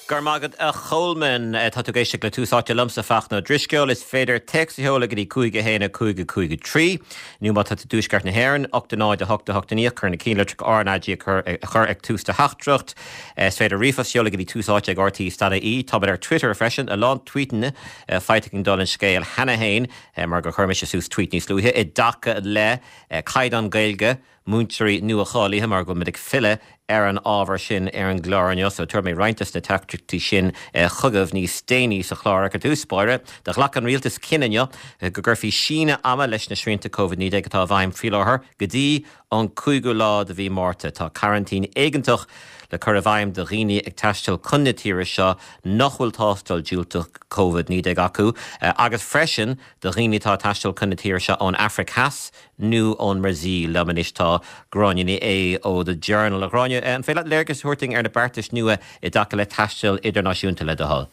Go raibh maith agat a Cholmáin. Tá tú ag éisteacht le Tús Áite liomsa, Fachtna Ó Drisceoil. Is féidir téacs a sheoladh go dtí 5 1 5 5 3 nó má tá tú i dTuaisceart na hÉireann, 8 0 8 8 9, cuir na cinnlitreacha RnaG a chur ag tús do theachtaireacht. Is féidir ríomhphost a sheoladh go dtí Tús Áite ag RTÉ stad ie. Táimid ar Twitter freisin, a lán tvuíteanna faighte againn dála an scéil cheana féin mar gur chuir mise suas tvuít níos luaithe i dtaca le caighdeán Gaeilge múinteoirí nua-cháilithe, mar go bhfuil muid ag filleadh ar an ábhar sin ar an gclár inniu, so tabharfaidh mé roinnt des na teachtaireachtaí sin chugaibh níos déanaí sa chlár. Ach ar dtús báire, do ghlac an Rialtas cinneadh inniu go gcuirfí síneadh ama leis na srianta Covid-19 atá i bhfeidhm faoi láthair go dtí an cúigiú lá de mhí Márta. Tá coraintín éigeantach le cur i bhfeidhm do dhaoine ag taisteal chun na tíre seo nach bhfuil tástáil diúltach Covid-19 acu agus freisin do dhaoine atá ag taisteal chun na tíre seo ón Afraic Theas nó ón mBrasaíl. Liom anois tá Gráinne Ní Aodha ó The Journal. A Ghráinne, an féidir leat léargas a thabhairt dúinn ar na beartais nua i dtaca le taisteal idirnáisiúnta, le do thoil?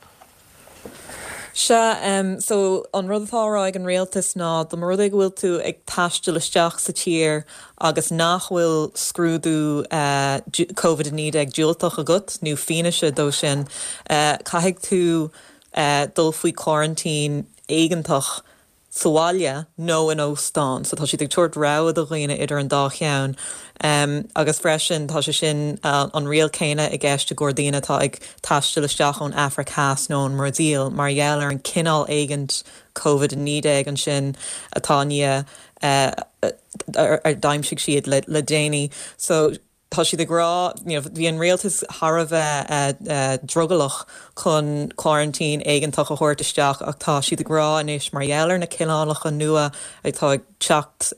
Sea, so an rud atá á rá ag an rialtas ná dá mba rud é go bhfuil tú ag taisteal isteach sa tír agus nach bhfuil scrúdú Covid-19 diúltach agat nó fianaise dó sin, caithfidh tú dul faoi choraintín éigeantach sa bhaile nó in óstán. So tá siad ag tabhairt rogha do dhaoine idir an dá cheann. Agus freisin tá sé sin, an riail céanna i gceist i gcomhair daoine atá ag taisteal isteach ón Afraic Theas nó ón mBrasaíl mar gheall ar an cineál éigint Covid-19 ansin atá i ndiaidh ar d'aimsigh siad le déanaí. So. Tá siad ag rá, you know, bhí an rialtas thar a bheith drogallach chun coraintín éigeantach a thabhairt isteach ach tá siad ag rá anois mar gheall ar na cineálacha nua atá ag teacht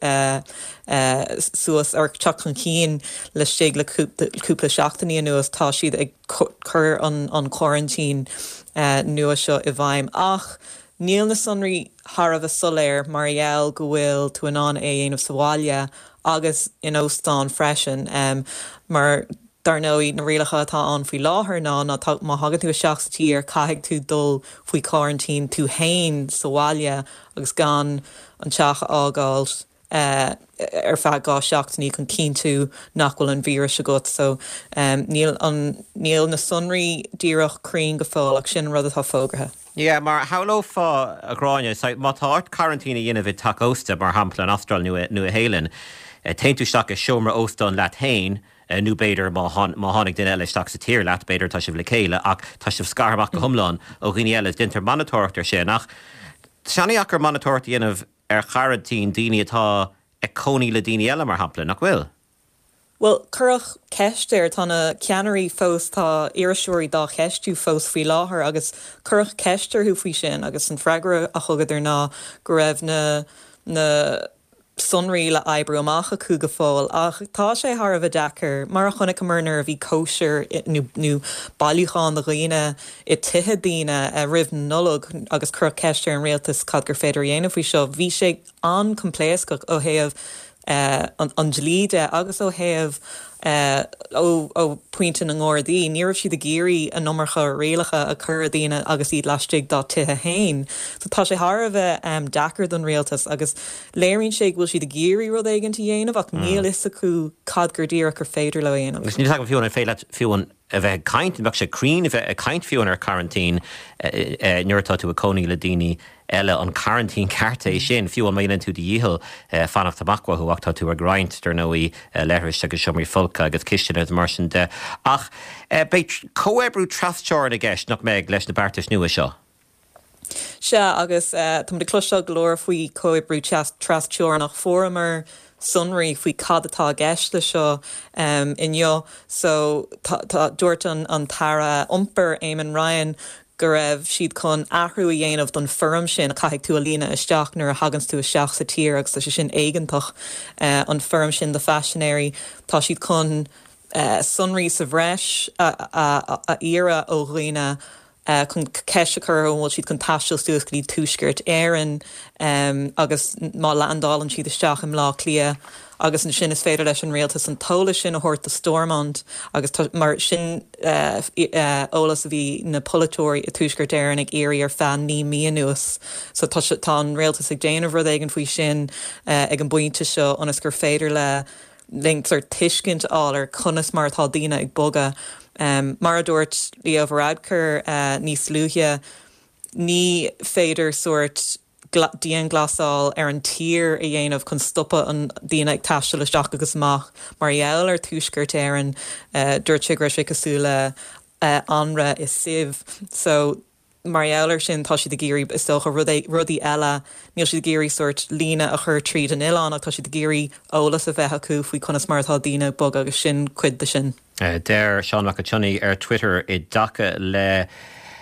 suas or teacht chun cinn laistigh le cúpla seachtainí anuas, tá siad ag cur an coraintín nua seo i bhfeidhm. Ach níl na sonraí thar a bheith soiléir mar gheall go bhfuil tú in ann é a dhéanamh sa bhaile agus in óstán freisin mar dar ndóigh na rialacha atá ann faoi láthair ná ná má thagann tú isteach sa tír caithfidh tú dul faoi choraintín tú fhéin sa bhaile agus gan an teach a fhágáil ar feadh 2 seachtainí chun cinntiú nach bhfuil an víreas agat so níl an níl na sonraí díreach cruinn go fóill ach sin an rud atá fógartha. Yeah, mar shamhlófá, a Ghráinne, má tá ort coraintín a dhéanamh i dteach ósta, mar shampla, an Astráil nó Nua Shéalainn, téann tú isteach i seomra óstáin leat féin, nó b'fhéidir má tháinig duine eile isteach sa tír leat, b'fhéidir tá sibh le chéile, ach tá sibh scartha amach go hiomlán ó dhaoine eile, déantar monatóireacht air sin. Ach tá sé an-dheacair monatóireacht a dhéanamh ar choraintín daoine atá ag cónaí le daoine eile, mar shampla, nach bhfuil? Bhuel, cuireadh ceist air, tá na ceannairí fós, tá iriseoirí dá cheistiú fós faoi láthair agus cuireadh ceist orthu faoi sin agus an freagra a thugadar ná go raibh na na sonraí le oibriú amach acu go fóill. Ach tá sé thar a bheith deacair, mar a chonaiceamar nuair a bhí cóisir nó nó bailiúchán de dhaoine i tithe daoine roimh na Nollag agus cuireadh ceist ar an rialtas cad gur féidir a dhéanamh faoi seo, bhí sé an-choimpléascach ó thaobh an dlí de agus ó thaobh ó phointe na nGardaí. Ní raibh siad ag iarraidh an iomarca rialacha a chur ar dhaoine agus iad laistigh dá dtithe féin. So tá sé thar a bheith deacair don rialtas agus léiríonn sé go bhfuil siad ag iarraidh rud éigin a dhéanamh ach níl fhios acu cad gur díreach gur féidir leo a dhéanamh. Agus níl fhios agam fiú an féidir leat fiú an a bheith ag caint, an mbeadh sé cruinn a bheith ag caint fiú ar choraintín nuair atá tú ag cónaí le daoine eile, an coraintín ceart é sin, fiú má dhéanann tú do dhícheall fanacht amach uathu ach tá tú ag roinnt, dar ndóigh, leithris agus seomraí folctha agus cistine agus mar sin de. Ach beidh comhoibriú trasteorann i gceist, nach mbeidh, leis na beartais nua seo? Sea, agus táimid ag cloisteáil go leor faoi chomhoibriú trasteorannach. Fuaireamar sonraí faoi cad atá i gceist le seo inniu. So, tá, dúirt an tAire Iompair, Eamon Ryan, go raibh siad chun athrú a dhéanamh don foirm sin a chaithfidh tú a líonadh isteach nuair a thaganns tú isteach sa tír agus tá sé sin éigeantach, an foirm sin do phaisinéirí. Tá siad chun sonraí sa bhreis a iarraidh ó dhaoine chun ceist a chur orthu an bhfuil siad chun taisteal suas go dtí Tuaisceart Éireann agus má leaindeálann siad isteach i mBleá Cliath agus ansin is féidir leis an rialtas an t-eolas sin a thabhairt do Stormont agus mar sin eolas a bhí na polaiteoirí i Tuaisceart Éireann ag iarraidh ar feadh 9 mí anuas. So tá an rialtas ag déanamh rud éigin faoi sin ag an bpointe seo ionas gur féidir le. linn sort tuiscint a fháil ar conas mar atá daoine ag bogadh. Mar a dúirt Leo Varadkar níos luaithe, ní féidir sort dianghlasáil ar an tír a dhéanamh chun stopadh an daoine ag taisteal isteach agus amach mar gheall ar Tuaisceart Éireann. Dúirt sé go raibh sé cosúil le anraith i sieve. So mar gheall ar sin tá siad ag iarraidh, is dócha, rudaí eile, níl siad ag iarraidh sórt líne a chur tríd an oileán ach tá siad ag iarraidh eolas a bheith acu faoi conas mar atá daoine ag bogadh agus sin cuid de sin. Deir Seán Mac an tSionnaigh ar Twitter i dtaca le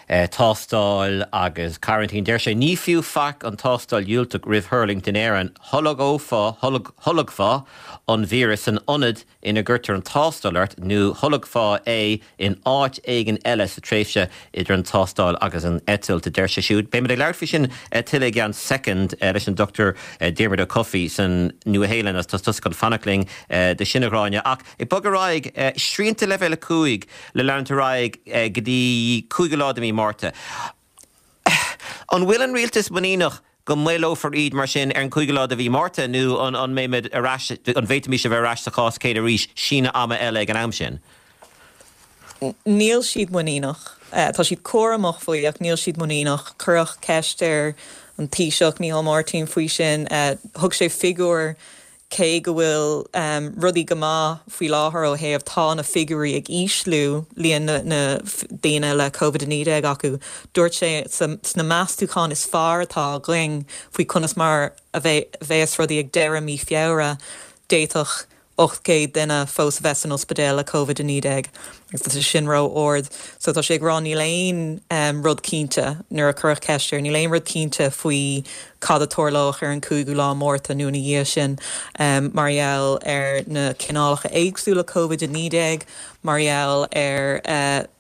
tástáil agus coraintín, deir sé, Ní fiú faic an tástáil dhiúltach roimh thuirlingt in Éirinn, tholgófá, tholgfá an víreas san ionad ina gcuirtear an tástáil ort nó tholgfá é in áit éigin eile sa tréimhse idir an tástáil agus an eitilt, a deir sé siúd. Beimid ag labhairt faoi sin tuilleadh i gceann soicind leis an Dr Diarmuid Ó Cofaigh san Nua-Shéalainn agus tá tusa chun fanacht linn do sin, a Ghráinne. Ach ag bogadh ar aghaidh, srianta leibhéal 5 le leanúint ar aghaidh go dtí 5ú lá de mhí Márta. An bhfuil an rialtas muiníneach go maolófar iad mar sin ar an 5ú lá de mhí Márta nó an mbeimid ar ais, an bhféadfaimis a bheith ar ais sa chás céanna arís síneadh ama eile ag an am sin? Níl siad muiníneach. Tá siad cúramach faoi ach níl siad muiníneach. Cuireadh ceist ar an Taoiseach, Micheál Martin, faoi sin. Thug sé figiúr Cé go bhfuil rudaí go maith faoi láthair ó thaobh tá na figiúirí ag ísliú, líon na ndaoine le Covid-19 acu, dúirt sé sna meastúcháin is fearr atá againn faoi conas mar a bheas rudaí ag deireadh mí Feabhra, d'fhéadfadh 800 duine fós a bheith san ospidéal le Covid-19 agus tá sé sin ró-ard. So tá sé ag rá níl aon rud cinnte, nuair a cuireadh ceist air, níl aon rud cinnte faoi cad a tarlóidh ar an 5ú lá Márta nó ina dhiaidh sin mar gheall ar na cineálacha éagsúla Covid-19, mar gheall ar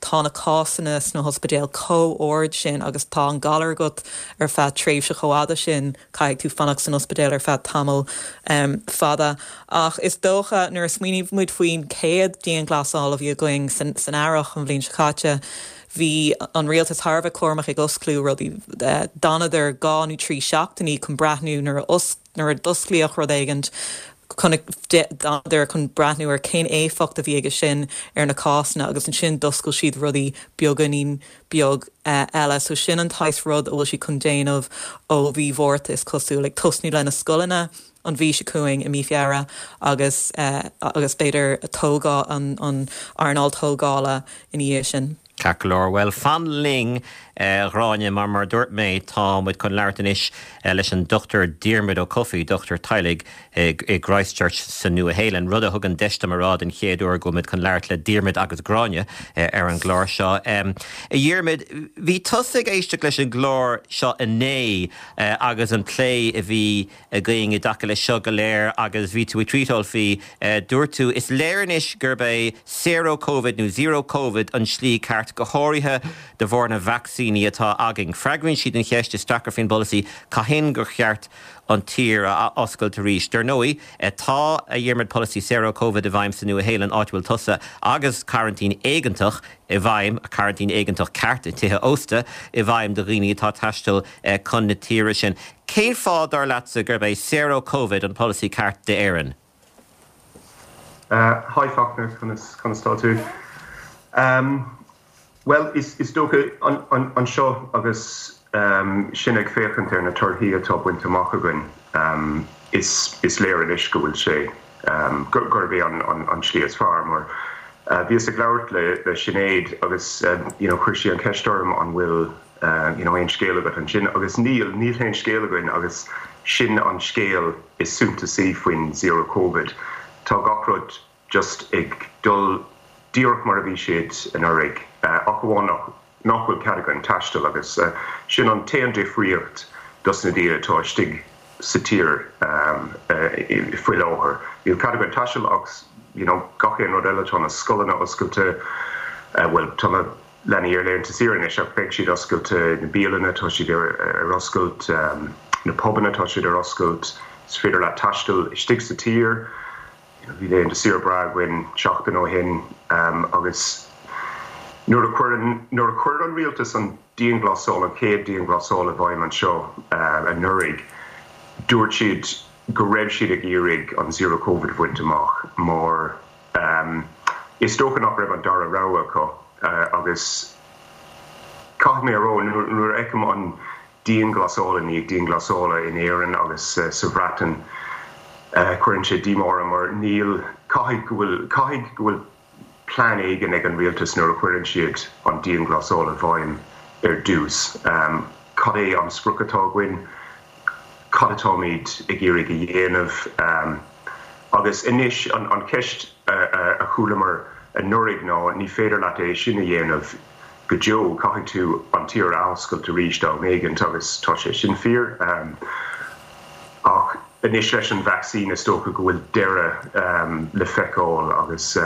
tá na cásanna sna hospidéil chomh ard sin agus tá an galar agat ar feadh tréimhse chomh fhada sin, caithfidh tú fanacht san ospidéal ar feadh tamall fada. Ach is dócha, nuair a smaoiníonn muid faoin chéad dianghlasáil a bhí againn san earrach an bhliain seo caite, bhí an rialtas thar a bheith cúramach ag osclú rudaí. D'fhanadar 2 nó 3 seachtainí chun breathnú nuair a nuair a d'osclaíodh rud éigint, d'fhanadar chun breathnú ar cén éifeacht a bhí aige sin ar na cásanna agus ansin d'oscail siad rudaí beagáinín beag eile. So sin an tsaghas rud a bhfuil siad chun déanamh ó mhí Mhárta is cosúil, ag tosnú le na scoileanna an mhí seo chugainn i mí Feabhra agus agus b'fhéidir tógáil an an earnáil tógála ina dhiaidh sin. Ceart go leor, bhuel fan linn a Ghráinne mar mar a dúirt mé tá muid chun labhairt anois leis an Dr Diarmuid Ó Cofaigh, dochtúir teaghlaigh i gChristchurch sa Nua-Shéalainn, rud a thugann deis dom a rá den chéad uair go bhfuil muid chun labhairt le Diarmuid agus Gráinne ar an gclár seo. A Dhiarmuid, bhí tusa ag éisteacht leis an gclár seo inné agus an plé a bhí againn i dtaca leis seo go léir agus bhí tú ag tweetáil faoi. Dúirt tú, 'Is léir anois gurb é saor ó Covid nó Zero Covid an slí ceart, go háirithe de bharr na vacsaíní atá againn. Freagraíonn siad an cheist is deacra faoin bpolasaí, cathain gur cheart an tír a athoscailt arís. Dar ndóigh, tá, a Dhiarmuid, polasaí saor ó Covid i bhfeidhm sa Nua-Shéalainn, áit a bhfuil tusa, agus coraintín éigeantach i bhfeidhm, coraintín éigeantach ceart i dtithe ósta i bhfeidhm do dhaoine atá ag taisteal chun na tíre sin. Cén fáth, dar leatsa, gurb é saor ó Covid an polasaí ceart d'Éirinn? Hi Fachtna, conas conas tá tú? Bhuel, is dócha anseo agus sinn ag féachaint ar na torthaí atá bainte amach againn, is léir anois go bhfuil sé, gurb é an tslí is fearr. Mar bhíos ag labhairt le Sinéad agus you know chuir sí an cheist orm an bhfuil you know aon scéal agat ansin agus níl, níl aon scéal againn agus sin an scéal is suntasaí faoin Zero Covid. Tá gach rud just ag dul díreach mar a bhí siad anuraidh, ach amháin nach bhfuil cead againn taisteal agus sin an t-aon difríocht dos na daoine atá istigh sa tír faoi láthair. Níl cead againn taisteal ach you know gach aon rud eile, tá na scoileanna oscailte, bhuel tá na leanaí ar laethanta saoire anois ach beidh siad oscailte, na bialanna tá siad ar oscailt, na pubanna tá siad ar oscailt, is féidir leat taisteal istigh sa tír. Bhí laethanta saoire breá againn seachtain ó shin agus nuair a chuir nuair a chuir an rialtas an dianghlasáil, an chéad dianghlasáil i bhfeidhm anseo anuraidh, dúirt siad. go raibh siad ag iarraidh an Zero Covid a bhaint amach mar is dócha nach raibh an dara rogha acu agus caithfidh mé a rá nuair a fheicim an dianghlasáil i ndiaidh dianghlasála in Éirinn agus sa Bhreatain cuireann sé díomá orm mar níl, caithfidh go bhfuil, caithfidh go bhfuil plean éigin ag an rialtas nuair a chuireann siad an dianghlasáil i bhfeidhm ar dtús. Cad é an sprioc atá againn? Cad atáimid ag iarraidh a dhéanamh? Agus anois an cheist a chualamar anuraidh ná ní féidir leat é sin a dhéanamh go deo, caithfidh tú an tír a athoscailt arís am éigin agus tá sé sin fíor. Ach anois leis an vacsaín is dócha go bhfuil deireadh le feiceáil agus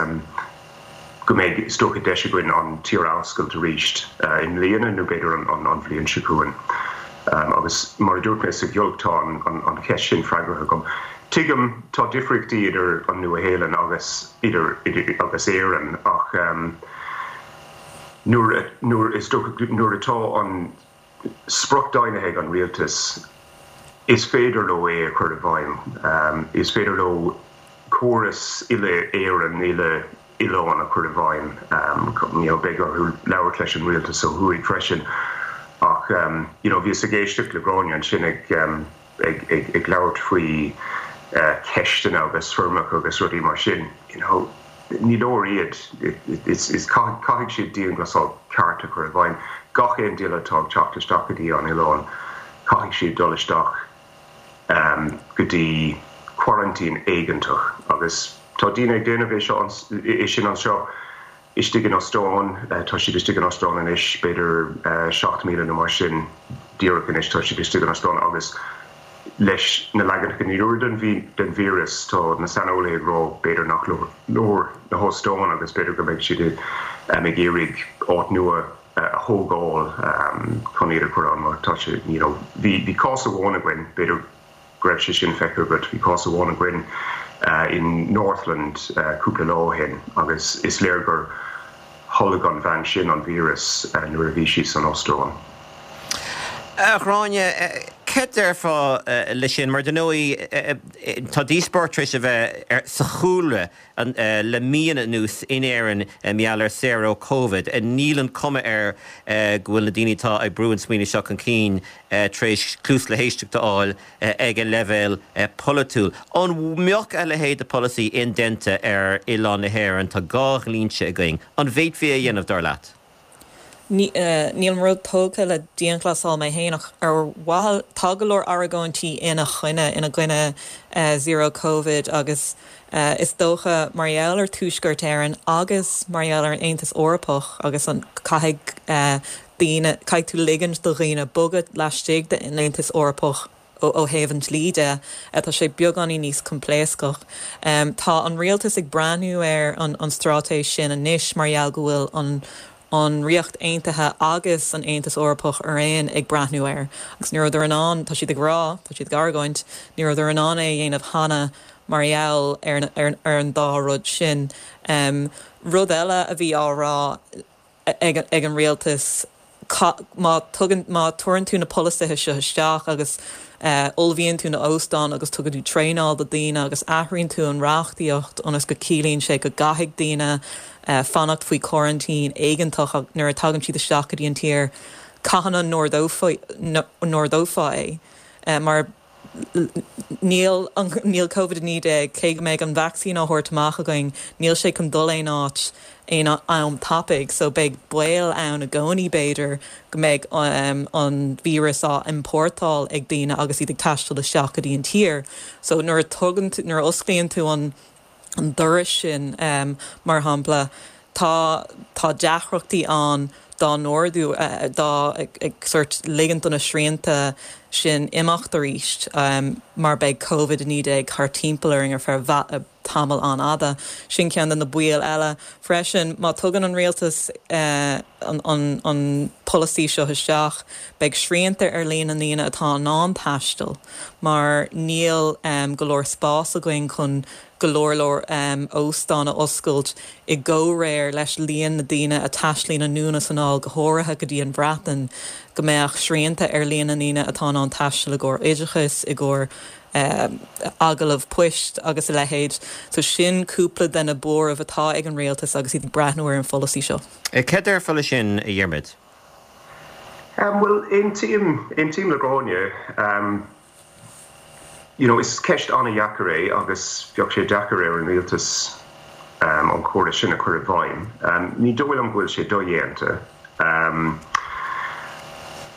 go mbeidh is dócha deis againn an tír a athoscailt arís i mbliana nó b'fhéidir an bhliain seo chugainn. Agus mar a dúirt mé sa ghiolc tá an cheist sin freagartha agam. Tuigim tá difríochtaí idir an Nua-Shéalainn agus idir agus Éirinn ach nuair nuair is dócha nuair atá an sprioc deimhnithe ag an rialtas, is féidir leo é a chur i bhfeidhm. Is féidir leo córas uile-Éireann, uile-oileán a chur i bhfeidhm. You know, beidh orthu labhairt leis an rialtas ó thuaidh freisin. Ach, you know, bhíos ag éisteacht le Gráinne ansin ag ag ag labhairt faoi cheisteanna agus foirmeacha agus rudaí mar sin. You know, ní leor iad. Is caithfidh siad dianghlasáil ceart a chur i bhfeidhm. Gach aon duine atá ag teacht isteach go dtí an oileán, caithfidh siad dul isteach go dtí coraintín éigeantach. Agus tá daoine ag déanamh é seo, é sin anseo istigh in óstán. Tá siad istigh in óstán anois, b'fhéidir 7,000 nó mar sin díreach anois, tá siad istigh in óstán agus leis na leaganacha nua den víreas, tá na saineolaithe ag rá b'fhéidir nach leor na hóstáin agus b'fhéidir go mbeidh siad ag iarraidh áit nua a thógáil chun iad a chur ann mar tá sé, you know, bhí cás amháin againn, b'fhéidir go raibh sé sin feicthe agat, bhí cás amháin againn in Northland cúpla lá ó shin agus is léir gur tholg an bhean sin an víreas nuair a bhí sí san óstán. A Ghráinne, céard déarfá le sin? Mar dar ndóigh, tá díospóireacht tar éis a bheith sa chúlra le míonna anuas in Éirinn mar gheall ar saor ó Covid. Níl an cuma air go bhfuil na daoine atá ag brú an smaoineamh seo chun cinn tar éis cluas le héisteacht a fháil ag an leibhéal polaitiúil. An mbeadh a leithéid de pholasaí indéanta ar oileán na hÉireann? Tá dhá dhlínse againn. An bhféadfaí é a dhéanamh, dar leat? Nílim ró-tógtha le dianghlasáil mé féin ach ar mhaithe, tá go leor argóintí ina choinne, ina gcoinne Zero Covid agus is dócha mar gheall ar Tuaisceart Éireann agus mar gheall ar an Aontas Eorpach agus an, caithfidh daoine, caithfidh tú ligint do dhaoine bogadh laistigh den Aontas Eorpach. Ó thaobh an dlí de, tá sé beagáinín níos coimpléascach. Tá an rialtas ag breathnú ar an straitéis sin anois mar gheall go bhfuil an an Ríocht Aontaithe agus an Aontas Eorpach araon ag breathnú air. Agus ní rabhadar in ann, tá siad ag rá, tá siad ag argóint, ní rabhadar in ann é a dhéanamh cheana mar gheall ar an dá rud sin. Rud eile a bhí á rá, ag an rialtas má tugann, má tuarann tú na polasaithe seo isteach agus ullmhaíonn tú na óstáin agus tugann tú traenáil do daoine agus athraíonn tú an reachtaíocht ionas go ciallaíonn sé go gcaithfidh daoine fanacht faoi choraintín éigeantach nuair a tagann siad isteach go dtí an tír, cathain a n-ardófá é? Mar. Níl, níl Covid-19, cé go mbeidh an vacsaín á thabhairt amach againn, níl sé chun dul aon áit aon am tapaidh so beidh baol ann i gcónaí b'fhéidir go mbeidh an víreas á iompórtáil ag daoine agus iad ag taisteal isteach go dtí an tír. So nuair a tugann tú, nuair a osclaíonn tú an an doras sin, mar shampla, tá tá deacrachtaí ann dá n-ardú, dá ag sórt ligint do na srianta sin imeacht arís mar beidh Covid-19 thar timpeall orainn ar feadh tamall an-fhada. Sin ceann de na baoil eile. Freisin, má tugann an rialtas an an polasaí seo isteach, beidh srianta ar líon na ndaoine atá in ann taisteal. mar níl go leor spás againn chun go leor leor óstán a oscailt i gcomhréir leis líon na daoine a taistealaíonn anonn is anall, go háirithe go dtí an Bhreatain, go mbeadh srianta ar líon na ndaoine atá in ann taisteal i gcomhair oideachais, i gcomhair. Agallamh poist agus a leithéid. So sin cúpla de na buairimh atá ag an rialtas agus iad ag breathnú ar an pholasaí seo. Cad a déarfá leis sin, a Dhiarmuid? Bhuel, aontaím, aontaím le Gráinne. You know, is ceist an-dheacair é agus bheadh sé deacair ar an rialtas an córas sin a chur i bhfeidhm. Ní dóigh liom go bhfuil sé dodhéanta.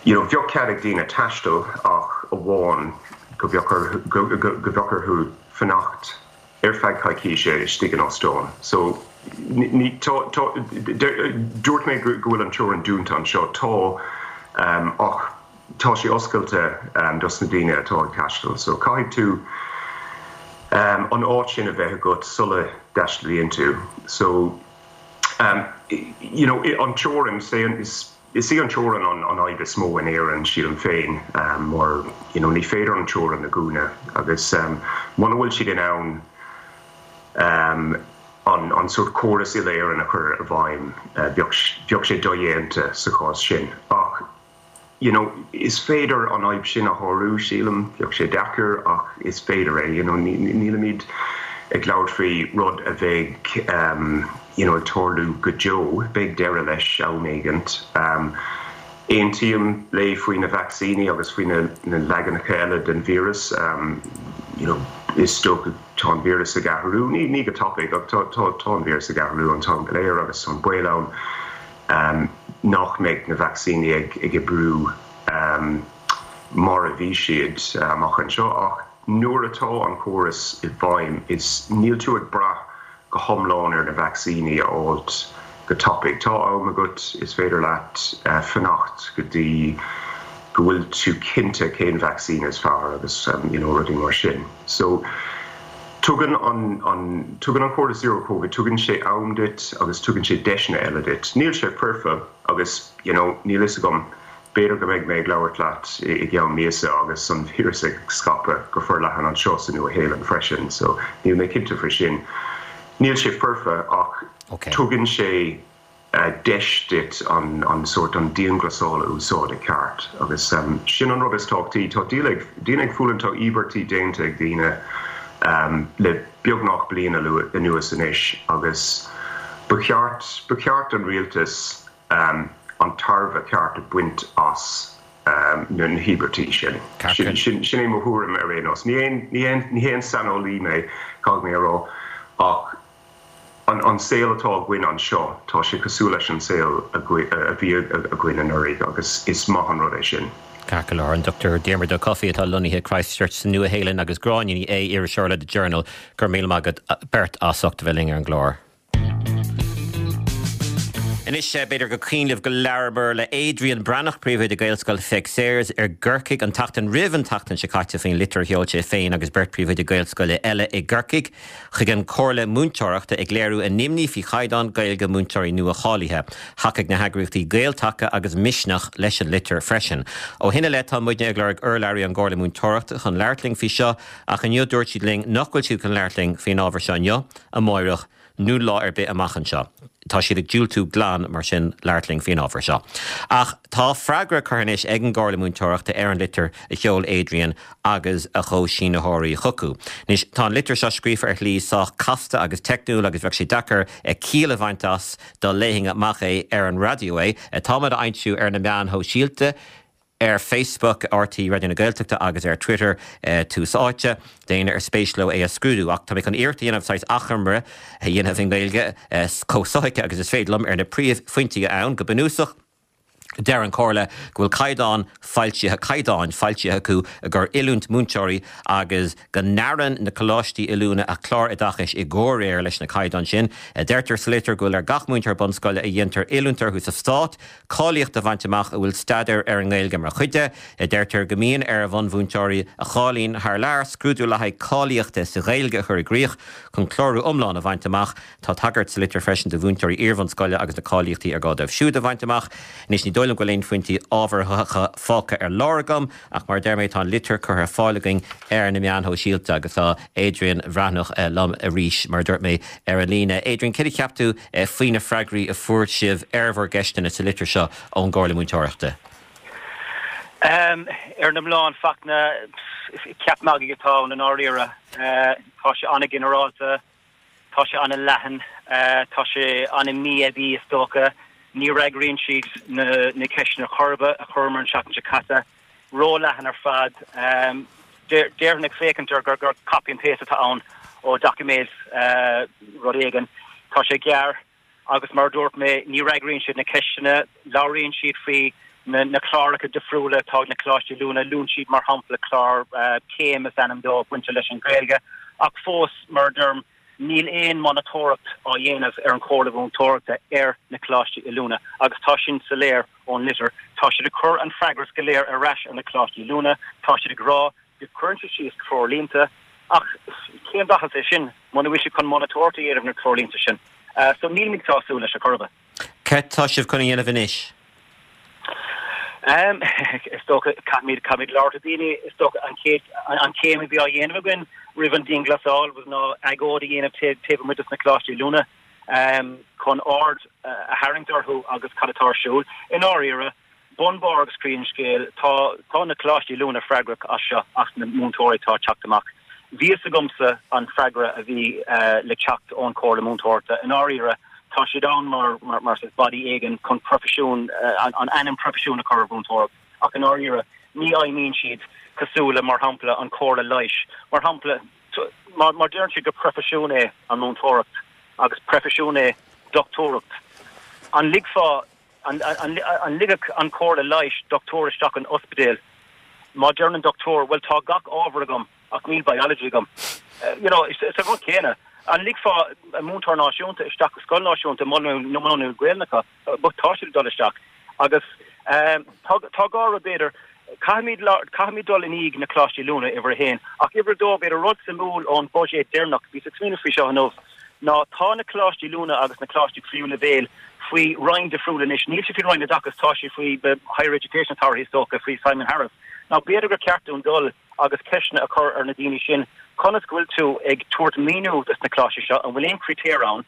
You know, bheadh cead ag daoine taisteal ach amháin go bheadh orthu, go bheadh orthu fanacht ar feadh coicíse istigh in óstán. So, ní, tá, tá, dúirt mé go bhfuil an teorainn dúnta anseo, tá, ach tá sé oscailte dos na daoine atá ag taisteal. So, caithfidh tú an áit sin a bheith agat sula dtaistealaíonn tú. So. You know, an teorainn, is í an teorainn an fhadhb is mó in Éirinn, sílim féin, mar, you know, ní féidir an teorainn a dhúnadh agus muna bhfuil siad in ann an sórt córas uile-Éireann a chur i bhfeidhm, bheadh sé dodhéanta sa chás sin. Ach. you know, is féidir an fhadhb sin a shárú, sílim. Bheadh sé deacair ach is féidir é, you know, nílimid ag labhairt faoi rud a bheidh you know, ag tarlú go deo, beidh deireadh leis am éigint. Aontaím léi faoi na vacsaíní agus faoi na leaganacha eile den víreas, you know, is dócha tá an víreas ag athrú, ní go tapaidh ach tá, tá, tá an víreas ag athrú an t-am go léir agus tá an baol ann. nach mbeidh na vacsaíní ag oibriú mar a bhí siad amach anseo ach nuair atá an córas i bhfeidhm is níl tú ag brath go hiomlán ar na vacsaíní a fháilt go tapaidh. Tá am agat, is féidir leat fanacht go dtí go bhfuil tú cinnte cén vacsaín is fearr agus you know rudaí mar sin. So. Tugann an tugann an córas Zero Covid, tugann sé am duit agus tugann sé deiseanna eile duit. Níl sé foirfe agus you know níl fhios agam, b'fhéidir go mbeidh mé ag labhairt leat i gceann míosa agus an víreas ag scaipeadh go forleathan anseo sa Nua-Shéalainn freisin so níl mé cinnte faoi sin. Níl sé foirfe ach tugann sé deis duit an sórt, an dianghlasáil a úsáid i gceart agus sin an rud is tábhachtaí. Tá daoine ag, daoine ag fulaingt, tá íobairtí déanta ag daoine le beagnach bliain anuas anois agus ba cheart, ba cheart don rialtas an tairbhe ceart a bhaint as na híobairtí sin. Sin é mo thuairim ar aon nós. Ní haon saineolaí mé, caithfidh mé a rá, ach An saol atá againn anseo, tá sé cosúil leis an saol a bhí againn anuraidh agus is maith an rud é sin. Ceart go leor. An Dr Diarmuid Ó Cofaigh atá lonnaithe i Christchurch sa Nua-Shéalainn agus Gráinne Ní Aodha, iriseoir le The Journal, go raibh míle maith agat beirt as ucht a bheith linn ar an gclár. Anois, b'fhéidir gur cuimhin libh go labhramar le Adrian Breathnach, príomhoide Gaelscoil Pheig Sayers i gCorcaigh, an tseachtain roimh an tseachtain seo caite faoin litir a sheol sé féin agus beirt phríomhoide Gaelscoile eile i gCorcaigh chuig an Chomhairle Múinteoireachta ag léiriú a n-imní faoi chaighdeán Gaeilge múinteoirí nua-cháilithe. Thacaigh na heagraíochtaí Gael-Taca agus Misneach leis an litir freisin. Ó shin i leith tá muidne ag lorg urlabhraí ón gComhairle Múinteoireachta chun labhairt linn faoi seo ach inniu dúirt siad linn nach bhfuil siad chun labhairt linn faoin ábhar seo inniu, amáireach nó lá ar bith amach anseo. Tá siad ag diúltú glan, mar sin, labhairt linn faoin ábhar seo. Ach tá freagra curtha anois ag an gComhairle Múinteoireachta ar an litir a sheol Adrian agus a chomhshínitheoirí chucu. Anois, tá an litir seo scríofa ar shlí sách casta agus teicniúil agus bheadh sé deacair ciall a bhaint as dá léifinn amach é ar an raidió é. Táimid á fhoilsiú ar na meáin shóisialta. ar Facebook, RTÉ Raidió na Gaeltachta agus ar Twitter, Tús Áite, d'éinne ar spéis leo é a scrúdú. Ach tá mé chun iarracht a dhéanamh saghas achoimre a dhéanamh i nGaeilge chomh sothuigthe agus is féidir liom ar na príomhphointí ann. Go bunúsach, deir an Chomhairle go bhfuil caighdeán foilsithe, caighdeáin foilsithe acu i gcomhair oiliúint múinteoirí agus go ndearann na coláistí oiliúna a gcláir oideachais i gcomhréir leis na caighdeáin sin. Deirtear sa litir go bhfuil ar gach múinteoir bunscoile a dhéantar oiliúint orthu sa Stát cáilíocht a bhaint amach a bhfuil staidéar ar an nGaeilge mar chuid de. Deirtear go mbíonn ar bhunmhúinteoirí a cháilíonn thar lear scrúdú le haghaidh cáilíochta sa Ghaeilge a chur i gcrích chun clárú iomlán a bhaint amach. Tá tagairt sa litir freisin do mhúinteoirí iarbhunscoile agus na cáilíochtaí ar gá dóibh siúd a bhaint amach. Anois ní dóigh liom go bhfuil aon phointí ábhartha fágtha ar lár agam ach mar a deir mé tá an litir curtha ar fáil againn ar na meáin shóisialta agus tá Adrian Bhreathnach liom arís mar a dúirt mé ar an líne. Adrian, céard a cheap tú faoi na freagraí a fuair sibh ar bhur gceisteanna sa litir seo ón gComhairle Múinteoireachta? Ar an iomlán, Fachtna, ceap magaidh atá ann i ndáiríre. Tá sé an-ghinearálta, tá sé an-leathan, tá sé an-mhí-aibí is dócha. Ní fhreagraíonn siad na ceisteanna chor ar bith a chuireamar an tseachtain seo caite. Ró-leathan ar fad. Déarfainn ag féachaint air gur copy and paste atá ann ó doiciméad rud éigin. Tá sé gearr. Agus mar a dúirt mé, ní fhreagraíonn siad na ceisteanna, labhraíonn siad faoi na cláracha difriúla atá ag na coláistí oiliúna, luann siad mar shampla clár Céim is ainm dó, bainte leis an Ghaeilge, ach fós, mar a deirim, níl aon monatóireacht á dhéanamh ar an Chomhairle Mhúinteoireachta ar na coláistí oiliúna agus tá sin soiléir ón litir. Tá siad ag cur an freagras go léir ar ais ar na coláistí oiliúna, tá siad ag rá go gcuireann siad síos treoirlínte, ach cén mhaitheas é sin muna bhfuil siad chun monatóireacht a dhéanamh ar na treoirlínte sin? So nílimid sásúil leis ar chor ar bith. Cad tá sibh chun a dhéanamh anois? Is dócha, caithfimid, caithfimid labhairt le daoine, is dócha an chéad, an chéim a bhí á dhéanamh againn roimh an dianghlasáil was ná agóid a dhéanamh taobh amuigh de na coláistí oiliúna chun aird a tharraingt orthu agus cad atá ar siúl. I ndáiríre, Bun, barr agus croí an scéil, tá tá na coláistí oiliúna freagrach as seo, as na múinteoirí atá ag teacht amach. Bhí fhios agamsa an freagra a bhí le teacht ón Chomhairle Múinteoireachta. I ndáiríre, tá siad ann mar mar mar saghas body éigin chun proifisiún, an ainm proifisiún a chur ar mhúinteoireacht, ach i ndáiríre, ní fheidhmíonn siad cosúil le, mar shampla, an Chomhairle Leighis. Mar shampla, má má deireann siad gur proifisiún é an mhúinteoireacht agus proifisiún é dochtúireacht, an ligfeá An ligfeadh an Chomhairle Leighis dochtúir isteach in ospidéal má deireann an dochtúir, bhuel tá gach ábhar agam ach níl biology agam? You know, is an rud céanna. An ligfeá múinteoir náisiúnta isteach i scoil náisiúnta muna bhfuil Gaelainn acu? But tá siad ag dul isteach. Agus tá tá dhá rud b'fhéidir, caithfimid caithfimid dul i ndiaidh na coláistí oiliúna, uimhir a haon. Ach uimhir a dó, b'fhéidir rud suimiúil ón bhuiséad deireanach, bhíos ag smaoineamh faoi seo inniu, ná tá na coláistí oiliúna agus na coláistí tríú leibhéal faoi roinn difriúil anois. Níl siad faoi Roinn Oideachais, tá siad faoi the Higher Education Authority is dócha, faoi Simon Harris. Now b'fhéidir gur ceart dúinn dul agus ceisteanna a chur ar na daoine sin, conas go bhfuil tú ag tabhairt maoiniú dos na coláistí seo, an bhfuil aon chritéir ann,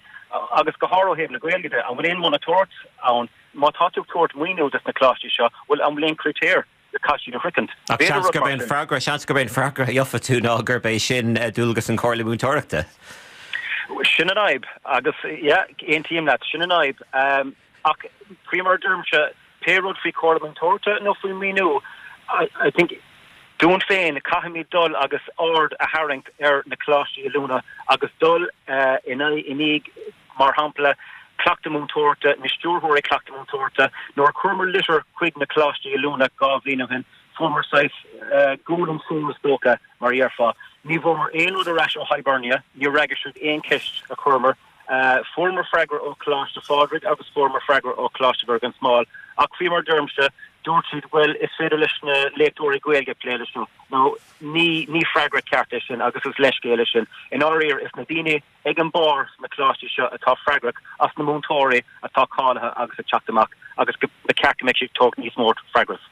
agus go háirithe ó thaobh na Gaeilge de, an bhfuil aon monatóireacht ann, má tá tú ag tabhairt maoiniú dos na coláistí seo, bhuel an bhfuil aon chritéir a caithfidh siad a shroichint? Ach seans gurb é an freagra, seans gurb é an freagra a gheofa tú ná gurb é sin dualgas an Chomhairle Múinteoireachta. Sin an fhadhb agus yeah, aontaím leat, sin an fhadhb. Ach faoi mar a deirimse, pé rud faoi Chomhairle Múinteoireachta nó faoi mhaoiniú, I think dúinn féin, caithfimid dul agus aird a tharraingt ar na coláistí oiliúna agus dul in aghaidh, i ndiaidh, mar shampla, cleachtadh múinteoireachta, na stiúrthóirí cleachtadh múinteoireachta. Nuair a chuireamar litir chuig na coláistí oiliúna 2 bhliain ó shin, fuaireamar saghas gualainn soar is dócha, mar a dhéarfá. Ní bhfuaireamar aon rud ar ais ó Hibernia, níor fhreagair siad aon cheist a chuireamar. Fuaireamar freagra ó Choláiste Phádraig agus fuaireamar freagra ó Choláiste Mhuire gan Smál ach faoi mar a deirimse, dúirt siad, bhuel, is féidir leis na léachtóirí Gaeilge plé leis seo. Now, ní, ní freagra ceart é sin agus is leithscéal é sin. I ndáiríre, is na daoine ag an mbarr sna coláistí seo atá freagrach as na múinteoirí atá cáilithe agus ag teacht amach agus ba cheart go mbeadh siad ag tabhairt níos mó freagras.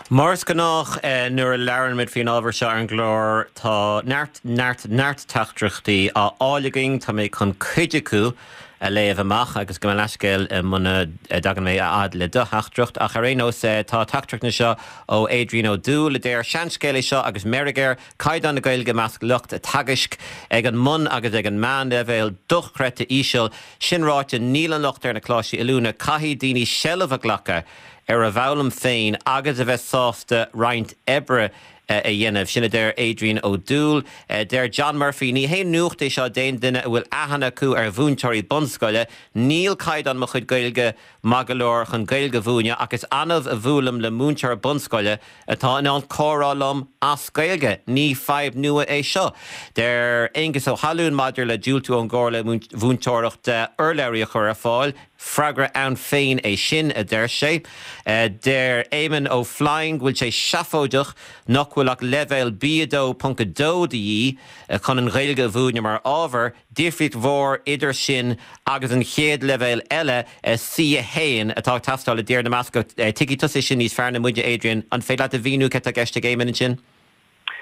Mar is gnách nuair a labhrann muid faoin ábhar seo ar an gclár, tá neart, neart, neart teachtaireachtaí á fháil againn. Tá mé chun cuid acu a léamh amach agus gabh mo leithscéal muna dtagann mé a fhad le do theachtaireacht. Ach ar aon nós, tá teachtaireacht anseo ó Adrian Ó Dúill a deir, Seanscéal é seo agus meirg air, caighdeán na Gaeilge i measc lucht teagaisc ag an mbun agus ag an meánleibhéal dochreidte íseal. Sin ráite, níl an locht ar na coláistí oiliúna. Caithfidh daoine seilbh a ghlacadh ar a bhfoghlaim féin agus a bheith sásta roinnt oibre a dhéanamh. Sin a deir Adrian Ó Dúill. Deir John Murphy, Ní haon nuacht é seo d'aon duine a bhfuil aithne acu ar mhúinteoirí bunscoile. Níl caighdeán mo chuid Gaeilge maith go leor chun Gaeilge a mhúineadh ach is annamh a bhuailim le múinteoir bunscoile atá in ann comhrá liom as Gaeilge. Ní fadhb nua é seo. Deir Aengus Ó hAlúin maidir le diúltú ón gComhairle Mhúinteoireachta urlabhraí a chur ar fáil, Freagra ann féin é sin, a deir sé. Deir Éamonn Ó Floinn go bhfuil sé seafóideach nach bhfuil ach leibhéal B2.2 de dhíth chun an Ghaeilge a mhúineadh mar ábhar, difríocht mhór idir sin agus an chéad leibhéal eile, C1, atá ag teastáil i dTír na mBascach. Tuigfidh tusa é sin níos fearr ná muide, Adrian. An féidir leat a mhíniú céard atá i gceist ag Éamonn ansin?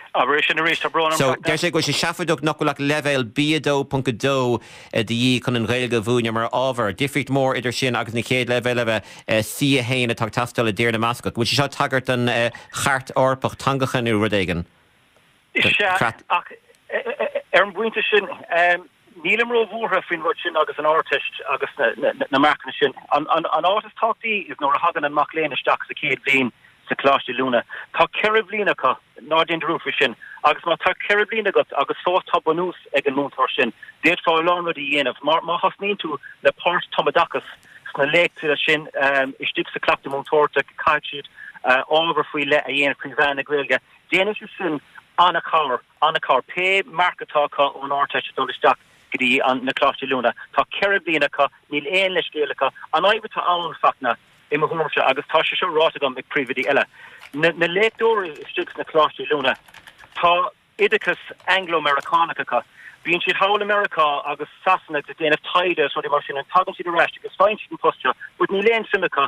Abair é sin arís, tá brón orm. So, deir sé go bhfuil sé seafóideach nach bhfuil ach leibhéal B2.2 de dhíth chun an Ghaeilge a mhúineadh mar ábhar. Difríocht mhór idir sin agus an chéad leibhéal eile, C1, atá ag teastáil i dTír na mBascach. Bhfuil sé seo ag tagairt don Chairt Eorpach Teangacha nó rud éigin? Sea, ach ar an bpointe sin, nílim róbhuartha faoin rud sin agus an Ardteist agus na marcanna sin. An áit is tábhachtaí is nuair a thagann an mac léinn isteach sa chéad bhliain sa choláiste oiliúna. Tá 4 bhliain acu, ná déan dearúd faoi sin. Agus má tá 4 bhliain agat agus fós tá bunús ag an múinteoir sin, d'fhéadfá a lán rudaí a dhéanamh. Má thosnaíonn tú le páirt-tumoideachas sna léachtaí sin istigh sa chleachtadh múinteoireachta, caithfidh siad ábhar faoi leith a dhéanamh faoi mheán na Gaeilge. Déanann sé sin an-chabhair, an-chabhair. Pé marc atá acu ón Ardteist ag dul isteach go dtí an, na Coláistí Oiliúna, tá 4 bliana acu, níl aon leithscéal acu. An fhadhb atá ann, Fachtna, i mo thuairimse, agus tá sé seo ráite agam ag príomhoidí eile, na, na léachtóirí istigh sna Coláistí Oiliúna, tá oideachas Anglo-Meiriceánach acu. Bíonn siad thall i Meiriceá agus Sasana ag déanamh taighde agus rudaí mar sin and tagann siad ar ais agus faigheann siad an post seo, but níl aon suim acu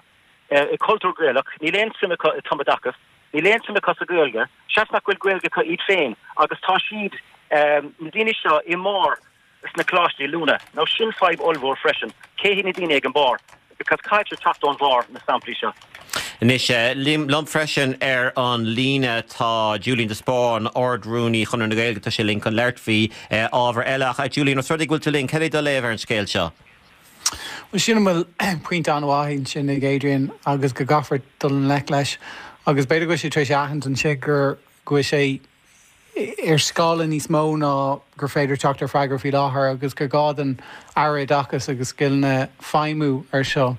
i cultúr Gaelach, níl aon suim acu i tumoideachas, níl aon suim acu sa Ghaeilge, seans nach bhfuil Gaeilge acu iad féin agus tá siad, na daoine seo, i mbarr sna coláistí oiliúna. Now sin fadhb ollmhór freisin, cé hiad na daoine ag an barr? Because caithfidh sé teacht ón bharr, na samplaí seo. Anois, liom freisin ar an líne tá Julian de Spáinn, Ard-Rúnaí Chonradh na Gaeilge, tá sé linn chun labhairt faoi ábhar eile. Ach Julian, os rud é go bhfuil tú linn, cad é do léamh ar an scéal seo? Bhuel, sílim go bhfuil pointe an-mhaith ansin ag Adrian agus go gcaithfear dul i ngleic leis agus b'fhéidir go bhfuil sé tar éis a aithint ansin gur go bhfuil sé ar scála níos mó ná gur féidir teacht ar freagra faoi láthair agus gur gá don Aire Oideachais agus Scileanna feidhmiú ar seo.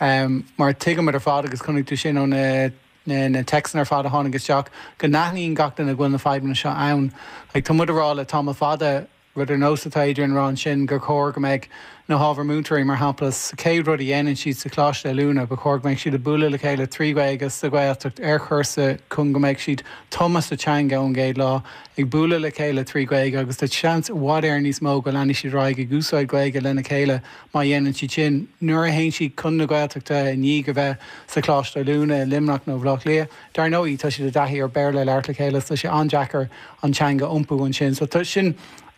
Mar tuigimid ar fad agus chonaic tú sin ó na na téacsanna ar fad a tháinig isteach go n-aithníonn gach duine go bhfuil na fadhbanna seo ann. Like, tá muid a rá le tamall fada Rud ar nós atá Adrian a rá ansin, gur chóir go mbeadh na hábhair múinteoirí, mar shampla, sa chéad rud a dhéanann siad sa choláiste oiliúna, ba chóir go mbeadh siad ag bualadh le chéile trí Ghaeilge sa Ghaeltacht ar chúrsa chun go mbeadh siad tumtha sa teanga ón gcéad lá, ag bualadh le chéile trí Ghaeilge agus tá seans i bhfad Éireann níos mó go leanfaidh siad ar aghaidh ag úsáid Gaeilge lena chéile má dhéanann siad sin. Nuair a théann siad chun na Gaeltachta i ndiaidh a bheith sa choláiste oiliúna i Luimneach nó Bhaile Átha Cliath, Dar ndóigh, tá siad i dtaithí ar Béarla a labhairt le chéile so tá sé an-deacair an teanga a iompú ansin. So sin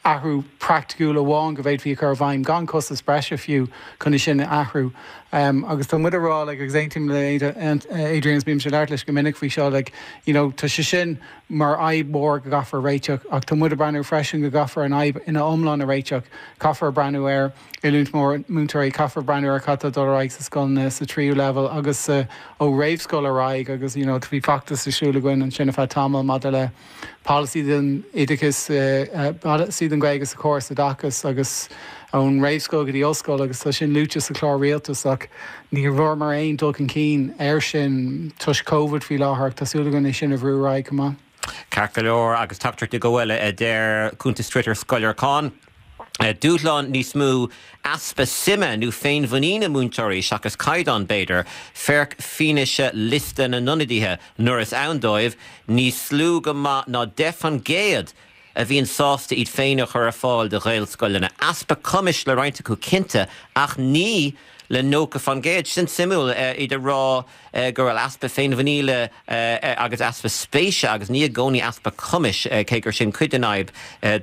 athrú praiticiúil amháin go bhféadfaí a chur i bhfeidhm, gan costas breise fiú, chun é sin a athrú. Agus tá muid a rá, like, agus aontaím le Adrian, is bímse ag labhairt leis go minic faoi seo, like, you know, tá sé sin mar fhadhb mhór go gcaithfear a réiteach ach tá muid ag breathnú freisin go gcaithfear an fhadhb ina iomlán a réiteach. Caithfear breathnú ar. oiliúint múinteoirí, caithfear breathnú ar cad tá ag dul ar aghaidh sa scoileanna sa tríú leibhéal agus sa ó réamhscoil ar aghaidh agus you know bhí feachtas ar siúl againn ansin ar feadh tamaill maidir le polasaí don oideachas, polasaí don Ghaeilge sa chóras oideachais agus ón réamhscoil go dtí ollscoil agus tá sin luaite sa chlár rialtais ach ní bhfuaireamar aon dul chun cinn air sin toisc Covid faoi láthair ach tá súil againn é sin a bhrú ar aghaidh chomh maith. Ceart go leor, agus teachtaireacht go bhfuil, a deir cuntas Twitter Scoil Lorcáin. Dúshlán níos mó easpa suime nó féinmhuiníne múinteoirí seachas caighdeán, b'fhéidir. Féach fianaise liosta na n-ionadaithe, nuair is ann dóibh, níos lú go maith ná 10% a bhíonn sásta iad féin a chur ar fáil do Ghaelscoileanna. Easpa cumais le roinnt acu cinnte, ach ní le 90%. Sin suimiúil, iad ag rá go bhfuil easpa féinmhuiníle agus easpa spéise agus ní i gcónaí easpa cumais, cé gur sin cuid den fhadhb,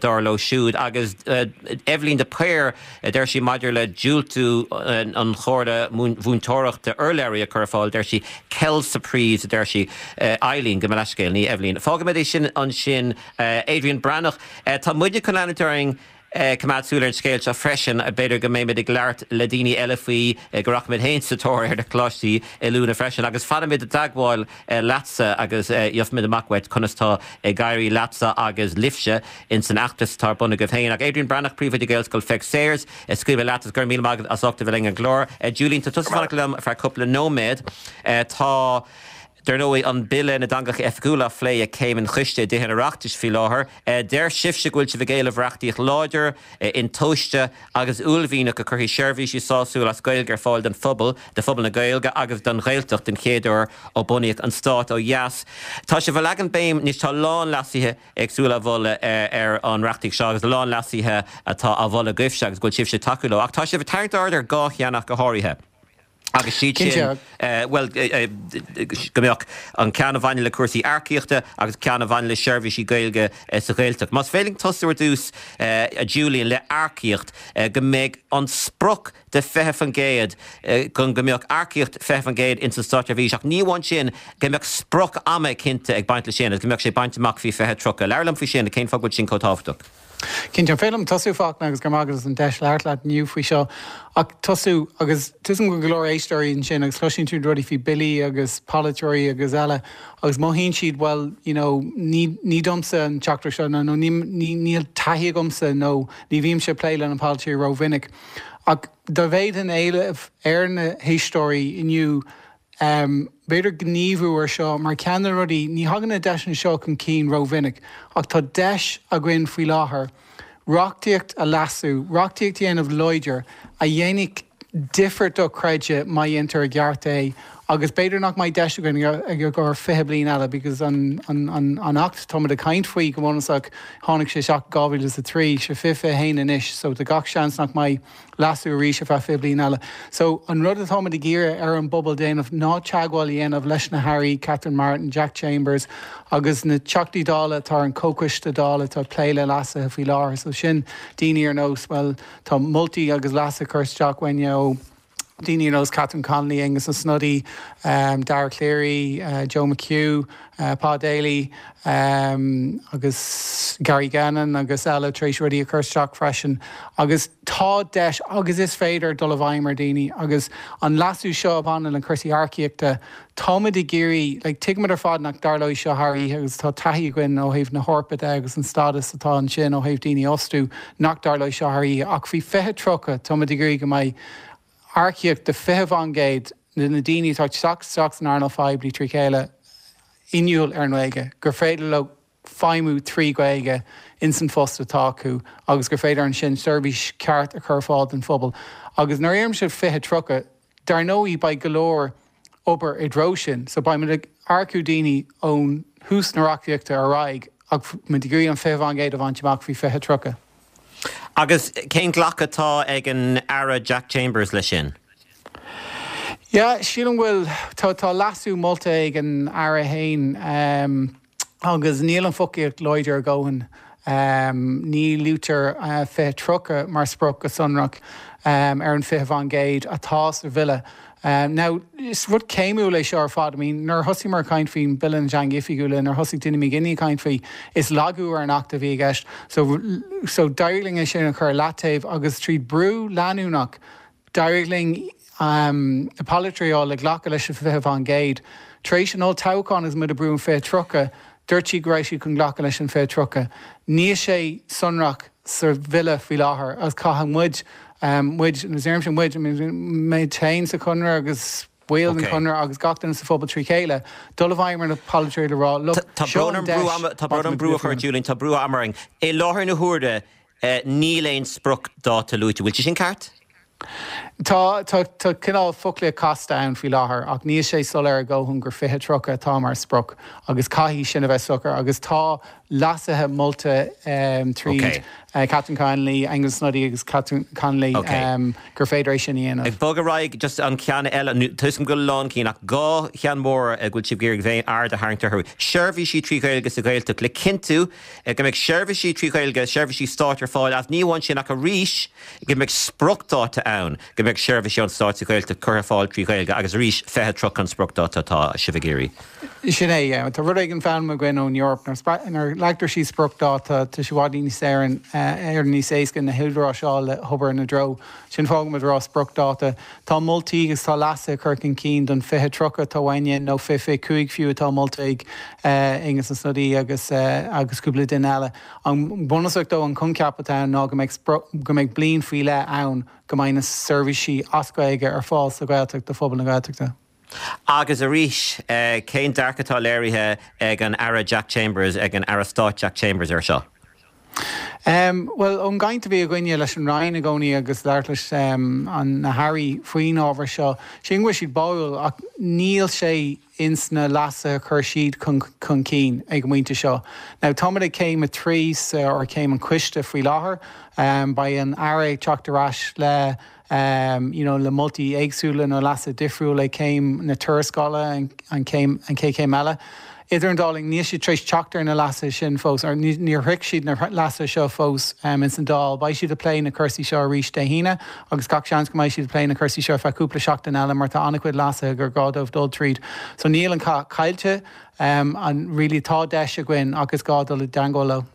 dar leo siúd. Agus Eibhlín de Paor, deir sí maidir le diúltú an Chomhairle Mhúinteoireachta urlabhraí a chur ar fáil, deir sí, quelle surprise, a deir sí. Eileen, gabh mo leithscéal, ní Eibhlín. Fágfaimid é sin ansin. Adrian Breathnach, tá muide chun leanúint orainn. coimeád súil ar an scéal seo freisin. B'fhéidir go mbeimid ag labhairt le daoine eile faoi, go rachaimid féin sa tóir ar na coláistí oiliúna freisin. Agus fanfaimid i dteagmháil leatsa agus gheobhaimid amach uait conas tá ag éirí leatsa agus libhse ins an fheachtas atá ar bun agaibh féin. Ach Adrian Breathnach, Príomhoide Gaelscoil Pheig Sayers, scaoilfidh mé leat agus go raibh míle maith agat as ucht a bheith linn ar an gclár. Julian, tá tusa ag fanacht liom ar feadh cúpla nóiméad. Tá. Dar ndóigh, an Bille na dTeangacha Oifigiúla á phlé ag Céim an Choiste i dTithe an Oireachtais faoi láthair. Deir sibhse go bhfuil sibh ag éileamh reachtaíocht láidir, intomhaiste agus uaillmhianach a chuirfidh seirbhísí sásúla as Gaeilge ar fáil don phobal, do phobal na Gaeilge agus don Ghaeltacht den chéad uair ó bunaíodh an stát ó dheas. Tá sibh ag leagan béim anois, tá a lán leasuithe éagsúla á mholadh ar an reachtaíocht seo agus a lán leasuithe atá á mholadh agaibhse agus go bhfuil sibhse ag tacú leo. Ach tá sibh ag tarraingt aird ar dhá cheann ach go háirithe. Agus siad sin, bhuel, go mbeadh an ceann a bhaineann le cúrsaí earcaíochta agus ceann a bhaineann le seirbhísí Gaeilge sa Ghaeltacht. Más féidir linn tosú ar dtús, a Julian, le earcaíocht, go mbeidh an sprioc de 20%, go mbeadh earcaíocht 20% ins an státseirbhís, ach ní amháin sin, go mbeadh sprioc ama cinnte ag baint leis sin agus go mbeadh sé bainte amach faoi 2030. Labhair liom faoi sin, cén fáth go bhfuil sin chomh tábhachtach? Cinnte, an féidir liom tosú, Fachtna, agus go raibh maith agat as an deis labhairt leat inniu faoi seo, ach tosú, agus tuigim go bhfuil go leor éisteoirí ansin agus cloiseann siad rudaí faoi billí agus polaiteoirí agus eile agus mothaíonn siad, bhuel, you know, ní, ní domsa an teachtaireacht seo nó ní, ní, níl taithí agamsa nó ní bhímse ag plé le na polaiteoirí rómhinic. Ach dá bhféadfainn éileamh ar na héisteoirí inniu, B'fhéidir gníomhú ar seo mar ceann de na rudaí, ní thagann na deiseanna seo chun cinn rómhinic, ach tá deis againn faoi láthair reachtaíocht a leasú, reachtaíocht a dhéanamh láidir a dhéanfaidh difear dochreidte má dhéantar i gceart é agus b'fhéidir nach mbeidh deis againn i gcomhair 20 bliain eile because an an Acht táimid ag caint faoi go bunúsach tháinig sé isteach in 2003, sé 2021 anois so tá gach seans nach mbeidh leasú arís ar feadh 20 bliain eile. So, an rud atáimid ag iarraidh ar an bpobal déanamh ná teagmháil a dhéanamh leis na hAirí, Catherine Martin, Jack Chambers agus na Teachtaí Dála atá ar an Comhchoiste Dála atá ag plé le leasuithe faoi láthair. So sin daoine ar nós, bhuel, tá moltaí agus leasuithe curtha isteach uainne ó daoine ar nós Catherine Connolly, Aengus Ó Snodaigh, Dara Calleary, Joe McHugh, Pa Daly agus Gary Gannon agus eile tar éis rudaí a chur isteach freisin agus tá deis agus is féidir dul i bhfeidhm ar daoine agus an leasú seo a bhaineann le cúrsaí earcaíochta táimid ag iarraidh like tuigimid ar fad nach dtarlóidh seo thar oíche agus tá taithí againn ó thaobh na hEorpa de agus an stádas atá ansin ó thaobh daoine a fhostú nach dtarlóidh seo thar oíche ach faoi 2030 táimid ag iarraidh go mbeidh earcaíocht de 20% de na daoine atá ag teacht isteach san earnáil phoiblí trí chéile inniúil ar an nGaeilge, gur féidir leo feidhmiú trí Ghaeilge ins an phost atá acu agus gur féidir ansin seirbhís ceart a chur ar fáil don phobal. Agus nuair a deirimse 2030, dar ndóigh beidh go leor obair i dtreo sin. So beidh muid ag earcú daoine ón thús na reachtaíochta ar aghaidh ach muid ag iarraidh an 20% a bhaint amach faoi 2030. Agus cén glacadh atá ag an Aire Jack Chambers leis sin? Yeah, sílim go bhfuil, tá, tá leasú molta ag an Aire fhéin agus níl an foclaíocht láidir a dhóthain. Ní luaitear 2030 mar sprioc go sonrach ar an 20% atá sa bhille. Now, is rud céimiúil é seo ar fad. I mean, nuair a thosaíomar ag caint faoin Bille na dTeangacha Oifigiúla, nuair a thosaigh Dinny McGinley ag caint faoi, is lagú ar an Acht a bhí i gceist. So, so d'éirigh linn é sin a chur ar leataobh agus tríd brú leanúnach, d'éirigh linn na polaiteoirí a fháil le glacadh leis an 20%. Tar éis an olltoghcháin agus muid ag brú an 2030, dúirt siad go raibh siad chun glacadh leis an 2030. Níl sé sonrach sa bhille faoi láthair agus caithfidh muid, muid, nuair a deirimse muid, I mean mé féin sa Chonradh agus baill den Chonradh agus gach duine sa phobal trí chéile, dul i bhfeidhm ar na polaiteoirí le rá, look, Tá seo brón an orm deis brú ama, tá brón orm brú a chur ort Julian, tá brú ama orainn. I láthair na huaire níl aon spriocdháta luaite. Bhfuil sé sin ceart? Tá, tá, tá cineál foclaíocht casta ann faoi láthair ach níl sé soiléir a dhóthain gur 2030 atá mar sprioc agus caithfidh sin a bheith socair agus tá leasuithe molta tríd Catherine Connolly, Aengus Snodaigh agus Catherine Connolly gur féidir é sin a dhéanamh. Ag bogadh ar aghaidh, just an ceann eile, tá 'fhios agam go bhfuil a lán cinn ach dhá cheann mhóra go bhfuil sibh ag iarraidh bheith aird a tharraingt orthu. Seirbhísí trí Ghaeilge sa Ghaeltacht le cinntiú go mbeidh seirbhísí trí Ghaeilge, seirbhísí stáit ar fáil ach ní amháin sin ach arís go mbeidh spriocdáta ann go mbeidh seirbhísí ón Stát sa Ghaeltacht curtha ar fáil trí Ghaeilge agus arís 2030 an spriocdáta atá sibh ag iarraidh. Sin é, yeah. Tá rud éigin foghlamtha againn ón Eoraip, nuair a leagtar síos spriocdáta, tá sé i bhfad níos éiríonn níos éasca na húdaráis a fháil le hobair ina dtreo. Sin fáth go bhfuil muid ag rá spriocdáta. Tá moltaí agus tá leasuithe curtha chun cinn don 2030 atá uainne, nó 2025 fiú atá molta ag Aengus Ó Snodaigh agus agus cúpla duine eile. An bunúsach dó, an coincheap atá ann ná go mbeidh go mbeidh bliain faoi leith ann go mbeidh na seirbhísí as Gaeilge ar fáil sa Ghaeltacht do phobal na Gaeltachta. Agus arís, cén dearcadh atá léirithe ag an Aire Jack Chambers, ag an Aire Stáit Jack Chambers air seo? Bhuel, ón gcaint a bhí againne leis an Roinn i gcónaí agus labhairt leis na hAirí faoin ábhar seo, sílim go bhfuil siad báúil ach níl sé ins na leasuithe a chuir siad chun cinn ag an bpointe seo. Now, táimid ag céim a trí sa, or céim an choiste faoi láthair. Beidh an Aire ag teacht ar ais le. you know le moltaí éagsúla nó leasuithe difriúla ag céim na tuarascála, an chéim, an chéad chéim eile. Idir an dá linn, níl siad tar éis teacht ar na leasuithe sin fós, or níor shroich siad na leasuithe seo fós ins an Dáil. Beidh siad ag plé na cúrsaí seo arís Dé hAoine agus gach seans go mbeidh siad ag plé na cúrsaí seo ar feadh cúpla seachtain eile mar tá an-chuid leasuithe gur gá dóibh dul tríd. So níl an cath caillte, and really tá deis againn ach is gá dul i dteangmháil leo.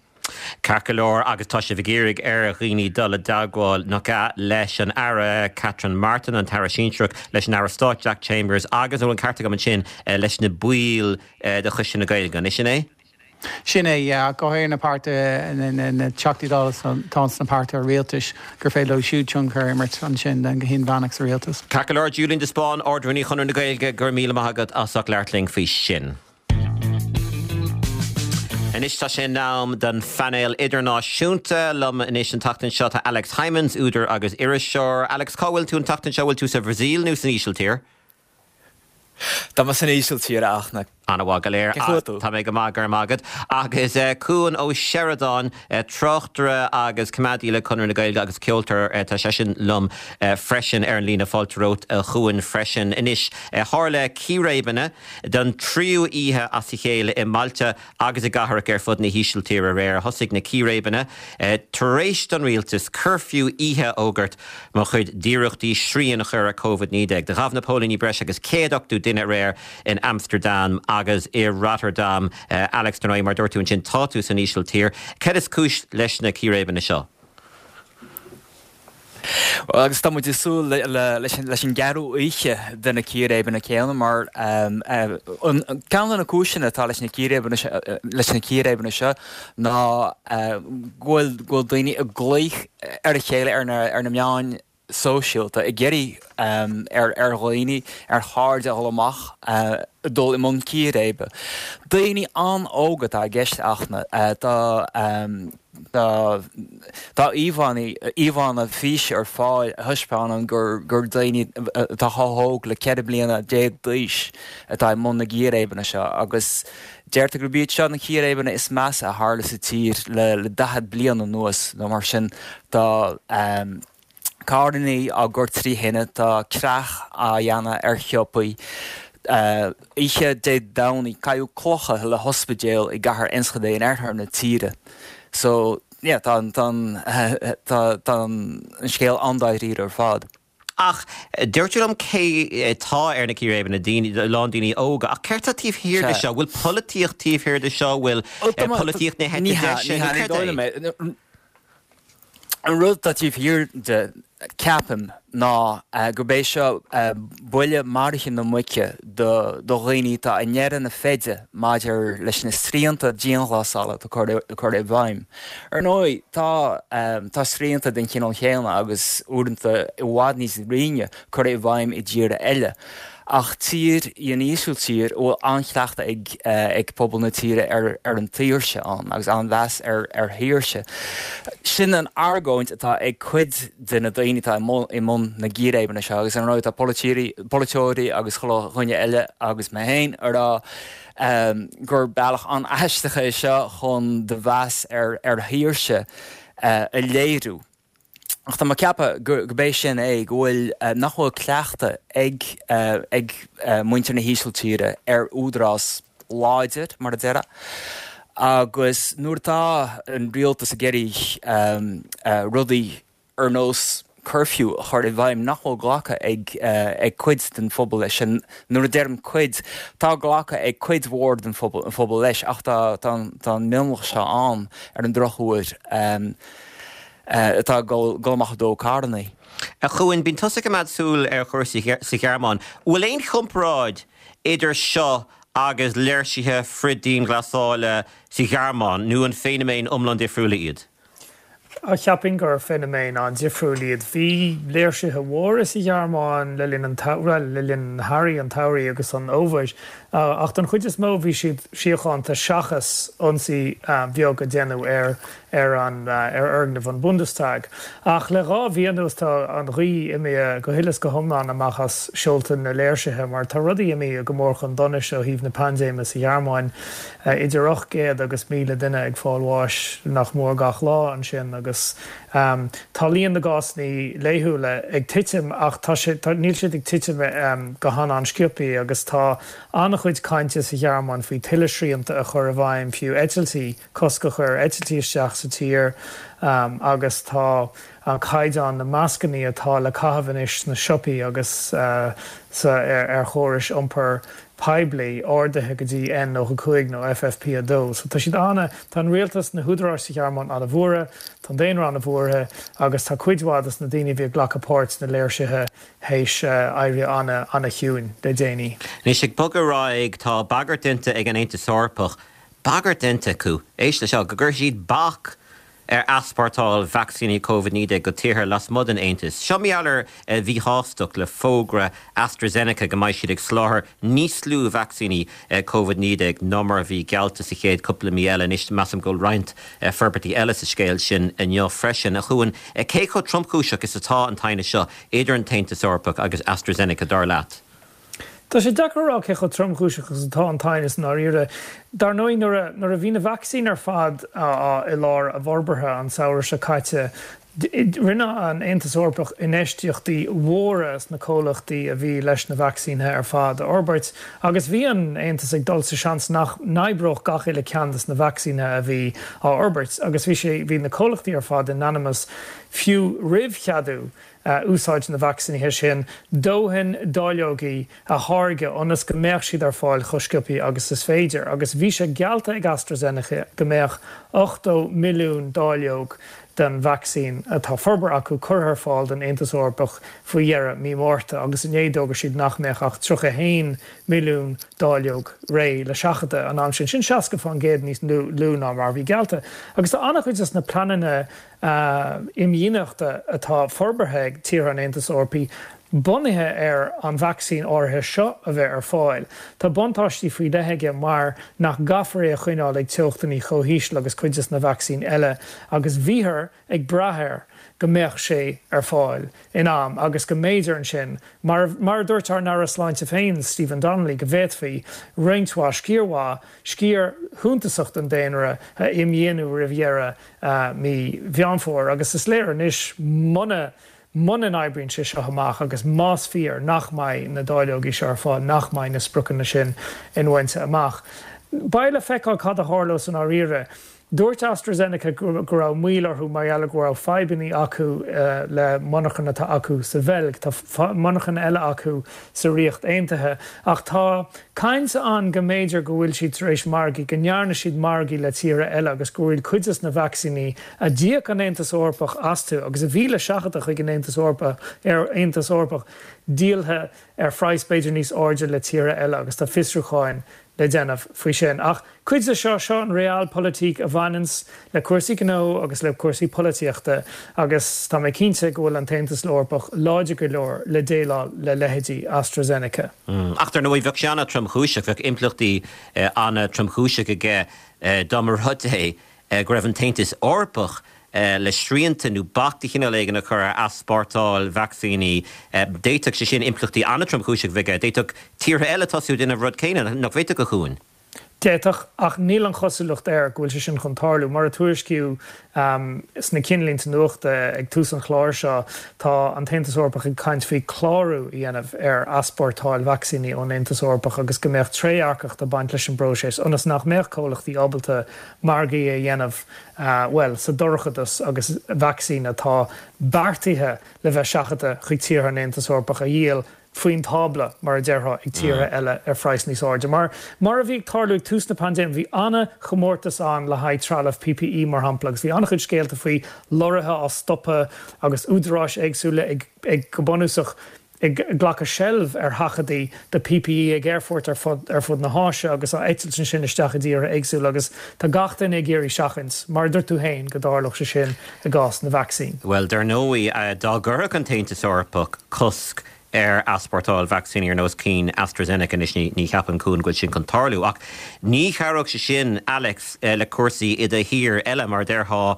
Ceart go leor, agus tá sibh ag iarraidh ar dhaoine dul i dteagmháil, nach ea, leis an Aire Catherine Martin, an tAire Sinsearach, leis an Aire Stáit Jack Chambers agus, an bhfuil an ceart agam ansin, leis na baill de Choiste na Gaeilge, an sin é? Sin é, yeah, go háirithe na páirtithe, na Teachtaí Dála atá sna páirtithe rialtais, gur féidir leo siúd tionchar a imirt ansin go hinmheánach sa rialtas. Ceart go leor, Julian de Spáinn, Ard-Rúnaí Chonradh na Gaeilge, go raibh míle maith agat as ucht labhairt linn faoi sin. Anois tá sé in am don phainéal idirnáisiúnta. Liom anois an tseachtain seo tá Alex Hijmans, údar agus iriseoir. Alex, cá bhfuil tú an tseachtain seo? Bhfuil tú sa Bhrasaíl nó san Ísiltír? Tá mé san Ísiltír, a Fhachtna. An-mhaith go léir. Cén chaoi a bhfuil tú? Tá mé go maith, go raibh maith agat. Agus Cuan Ó Seireadáin, tráchtaire agus coimeádaí le Conradh na Gaeilge agus ceoltóir, tá seisean liom freisin ar an líne. Fáilte romhat a Chuain freisin. Anois, tharla círéibeanna Don tríú oíche as a chéile i mbailte agus i gcathracha ar fud na hÍsiltíre aréir, thosaigh na círéibeanna tar éis don rialtas cuirfiú oíche a fhógairt mar chuid d'iarrachtaí srian a chur ar Covid-19. Do ghabh na póilíní breis agus 180 duine aréir in Amstardam agus i Rotterdam. Alex, dar ndóigh, mar a dúirt tú ansin, tá tú san Ísiltír. Céard is cúis leis na círéibeanna seo? Bhuel, agus tá muid ag súil leis an gceathrú oíche de na círéibeanna céanna mar ceann de na cúiseanna atá leis na círéibeanna seo ná go bhfuil daoine ag glaoch ar a chéile ar na meáin sóisialta ag iarraidh ar dhaoine, ar chairde a dhul amach, dul i mbun círéibe. Daoine an-óg atá i gceist a Fhachtna. Tá. Tá íomhánna físe ar fáil a thaispeánann gur daoine atá chomh hóg le 14 bliana d'aois atá i mbun na gcíréibeanna seo agus deirtear gurb iad seo na círéibeanna is measa a tharla sa tír le 40 bliain anuas nó mar sin. Tá. Carrannaí á gcur trí thine, tá creach á dhéanamh ar shiopaí. Oíche Dé Domhnaigh, caitheadh clocha le hospidéal i gcathair Enschede in oirthear na tíre. So, yeah, tá an, tá an, tá an scéal an-dáiríre ar fad. Ach dúirt tú liom cé atá ar na círéibeanna, daoine, a lán daoine óga. Ach céard atá taobh thiar de seo? Bhfuil polaitíocht taobh thiar de seo? Bhfuil polaitíocht na heite deise? Nó céard é? An rud atá taobh thiar de, ceapaim, ná gurb é seo buille maraithe na muice do dhaoine atá i ndeireadh na feide maidir leis na srianta dianghlasála atá curtha i bhfeidhm. Ar ndóigh, tá tá srianta den chineál chéanna agus uaireanta i bhfad níos righne curtha i bhfeidhm i dtíortha eile. Ach tír í an Ísiltír a bhfuil an-chleachtadh ag pobal na tíre ar an tsaoirse ann agus an-mheas ar shaoirse. Sin an argóint atá ag cuid de na daoine atá i mbun na gcíréibeanna seo agus ar ndóigh tá polaiteoirí agus chuile dhuine eile agus mé féin ag rá gur bealach an-aisteach é seo chun do mheas ar shaoirse a léiriú. Ach tá mé ag ceapadh gurb é sin é, go bhfuil, nach bhfuil cleachtadh ag, ag muintir na hÍsiltíre ar údarás láidir, mar a déarfá. Agus nuair atá an rialtas ag iarraidh rudaí ar nós curfew a chur i bhfeidhm nach bhfuil glactha ag, ag cuid den phobal leis sin, nuair a deirim cuid, tá glactha ag cuid mhór den phobal leis ach tá, tá an mionlach seo ann ar an drochuair. atá ag dul amach ag dó carrannaí. A Chuain, bíonn tusa ag coimeád súil ar chúrsaí sa Ghearmáin. Bhfuil aon chomparáid idir seo agus léirsithe frith-dianghlasála sa Ghearmáin nó an feiniméin iomlán difriúla iad? Cheapfainn gur feiniméin an-difriúil iad. Bhí léirsithe mhóra sa Ghearmáin le linn an, bhuel, le linn an earraigh, an tsamhraidh agus an fhómhair. Ach don chuid is mó bhí siad síochánta seachas ionsaí bheag a déanadh ar ar an ar fhoirgneamh an Bundestag. Ach le 2 mhí anuas tá an ghaoth imithe go huile is go hiomlán amach as seolta na léirsithe mar tá rudaí imithe go mór chun donais ó thaobh na paindéime sa Ghearmáin. Idir 800 agus 1,000 duine ag fáil bháis nach mór gach lá ansin agus. agus tá líon na gcásanna laethúla ag titim ach tá sé, tá, níl siad ag titim go han-an-sciobthaí agus tá an-chuid cainte sa Ghearmáin faoi tuilleadh srianta a chur i bhfeidhm, fiú eitiltí, cosc a chur ar eitiltí isteach sa tír agus tá an caighdeán na mascannaí atá le caitheamh anois sna siopaí agus sa ar chórais iompair poiblí ardaithe go dtí N95 nó FFP2. So tá siad ana, tá an rialtas, na húdaráis sa Ghearmáin ana-bhuartha, tá an daonra ana-bhuartha agus tá cuid mhaith dos na daoine a bhí ag glacadh páirt sna léirsithe théis éirí ana, ana-chiúin le déanaí. Anois ag bogadh ar aghaidh, tá bagairt déanta ag an Aontas Eorpach, bagairt déanta acu, éist leis seo, go gcuirfidh siad bac ar easpórtáil vacsaíní Covid-19 go tíortha lasmuigh den Aontas. Seo mar gheall ar mhíshástacht le fógra AstraZeneca go mbeidh siad ag soláthar níos lú vacsaíní Covid-19 ná mar a bhí geallta sa chéad cúpla mí eile. Anois, measaim go bhfuil roinnt forbairtí eile sa scéal sin inniu freisin. A Chuain, cé chomh tromchúiseach is atá an t-aighneas seo idir an tAontas Eorpach agus AstraZeneca, dar leat? Tá sé deacair a rá cé chomh tromchúiseach is atá an t-aighneas i ndáiríre. Dar ndóigh, nuair a nuair a bhí na vacsaíní ar fad i lár a bhforbartha an samhradh seo caite, rinne an Aontas Eorpach infheistíochtaí mhóra sna comhlachtaí a bhí leis na vacsaínithe ar fad a fhorbairt agus bhí an Aontas ag dul sa seans nach n-oibreodh gach uile ceann des na vacsaínithe a bhí á fhorbairt agus bhí sé bhí na comhlachtaí ar fad in ainm is fiú roimh cheadú úsáid na vacsaínithe sin, dóthain dáileogaí a tháirgeadh ionas go mbeadh siad ar fáil chomh sciobthaí agus is féidir. Agus bhí sé geallta ag AstraZeneca go mbeadh 80 milliún dáileog den vacsaín atá forbartha acu curtha ar fáil don Aontas Eorpach faoi dheireadh mí Márta agus inné d'fhógair siad nach mbeadh ach 31 milliún dáileog réidh le seachadadh an am sin. Sin 60% níos lú ná mar a bhí geallta. Agus tá an-chuid de na pleananna imdhíonachta atá forbartha ag tíortha an Aontais Eorpaigh bunaithe ar an vacsaín áirithe seo a bheith ar fáil. Tá buntáistí faoi leith aige mar nach gcaithfear é a choinneáil ag teochtanna chomh híseal agus cuid de na vacsaíní eile agus bhíothar ag brath air go mbeadh sé ar fáil in am agus go mb'fhéidir ansin, mar mar a dúirt ár n-Aire Sláinte féin, Stephen Donnelly, go bhféadfaí roinnt mhaith, sciar mhaith, sciar shuntasach den daonra a imdhíonadh roimh dheireadh mí Mheán Fómhair agus is léir anois muna muna n-oibríonn sé seo amach agus más fíor nach mbeidh na dáileogaí seo ar fáil, nach mbeidh na spriocanna sin inbhainte amach. Beidh le feiceáil cad a tharlós i ndáiríre. Dúirt AstraZeneca go raibh moill orthu mar gheall ar go raibh fadhbanna acu le monarchan atá acu sa Bheilg. Tá monarchan eile acu sa Ríocht Aontaithe ach tá caint ann go mb'fhéidir go bhfuil siad tar éis margaí, go ndearna siad margaí le tíortha eile agus go bhfuil cuid des na vacsaíní a d'íoc an Aontas Eorpach astu agus a bhí le seachadadh chuig an Aontas Eorpach, Aontas Eorpach díoltha ar phraghas b'fhéidir níos airde le tíortha eile agus tá fiosrúcháin le déanamh faoi sin. Ach cuid de seo, seo an realpolitik a bhaineanns le cúrsaí gnó agus le cúrsaí polaitíochta agus tá mé cinnte go bhfuil an tAontas Eorpach láidir go leor le déileáil le leithéidí AstraZeneca. Ach dar ndóigh bheadh sé an-tromchúiseach, bheadh impleachtaí an-tromchúiseach aige dá mba rud é go raibh an tAontas Eorpach le srianta nó bac de chineál éigin a chur ar easpórtáil vacsaíní. D'fhéadfadh sé sin impleachtaí an-tromchúiseach a bheith aige. D'fhéadfadh tíortha eile tosú ag déanamh an rud céanna, nach bhféadfadh, a Chuain? D'fhéadfadh, ach níl an chosúlacht air go bhfuil sé sin chun tarlú. Mar a tuairiscíodh sna cinnlínte nuachta ag tús an chláir seo, tá an tAontas Eorpach ag caint faoi clárú a dhéanamh ar easpórtáil vacsaíní ón Aontas Eorpach agus go mbeadh trédhearcacht ag baint leis an bpróiseas ionas nach mbeadh comhlachtaí ábalta margaí a dhéanamh, bhuel, sa dorchadas agus vacsaín atá beartaithe le bheith seachadta chuig tíortha an Aontais Eorpaigh a dhíol faoin tábla, mar a déarfá, ag tíortha eile ar phraghas níos airde. Mar, mar a bhí ag tarlú ag tús na paindéime, bhí an-chomórtas ann le haghaidh trealamh PPE, mar shampla, agus bhí an-chuid scéalta faoi lorraithe á stopadh agus údaráis éagsúla ag, ag, go bunúsach, ag glacadh seilbh ar sheachadaí de PPE ag aerfoirt ar fud ar fud na hÁise agus á eitilt ansin isteach i dtíortha éagsúla agus tá gach duine ag iarraidh seachaint, mar a dúirt tú féin, go dtarlódh sé sin i gcás na vacsaín. Bhuel, dar ndóigh, dá gcuirfeadh an tAontas Eorpach cosc. ar easpórtáil vacsaíní ar nós cinn AstraZeneca. Anois ní cheapaim Cuan go bhfuil sin chun tarlú ach ní chabhródh sé sin, Alex, le cúrsaí i do thír eile, mar a déarfá,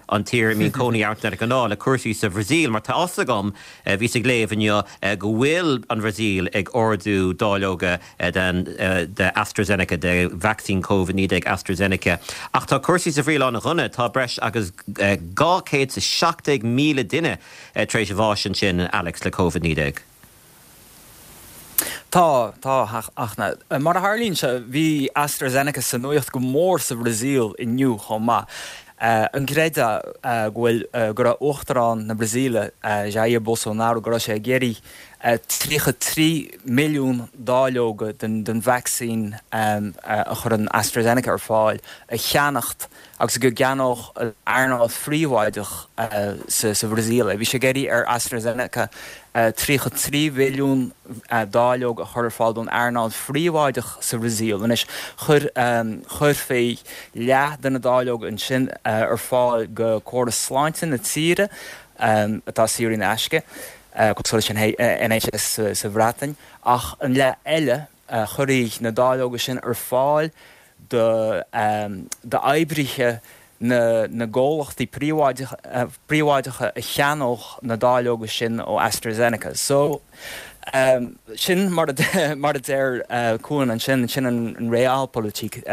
an tír a mbíonn cónaí ort de ghnáth, le cúrsaí sa Bhrasaíl mar tá fhios agam, bhíos ag léamh inniu go bhfuil an Bhrasaíl ag ordú dáileoga den de AstraZeneca, de vacsaín Covid-19 AstraZeneca. Ach tá cúrsaí sa Bhrasaíl an-dhona, tá breis agus 217,000 duine tar éis bháis ansin, Alex, le Covid-19. Tá, tá, a Fhachtna. Mar a tharlaíonn sé, bhí AstraZeneca sa nuaíocht go mór sa Bhrasaíl inniu chomh maith. An gcreidfeá go bhfuil, go raibh Uachtarán na Brasaíle, Jair Bolsonaro, go raibh sé ag iarraidh 33 milliún dáileoga den vacsaín a chuireann AstraZeneca ar fáil a cheannacht agus go gceannódh an earnáil phríobháideach sa Bhrasaíl é. Bhí sé ag iarraidh ar AstraZeneca 33 mhilliún dáileog a chur ar fáil don earnáil phríobháideach sa Bhrasaíl. Anois, chuir, chuirfí leath de na dáileoga ansin ar fáil go córas sláinte na tíre, atá saor in aisce, cosúil leis an NHS sa Bhreatain, ach an leath eile, chuirfí na dáileoga sin ar fáil d'oibrithe na gcomhlachtaí príobháideacha a cheannódh na dáileoga sin ó AstraZeneca. So, sin mar a deir Cuan ansin, sin an realpolitik.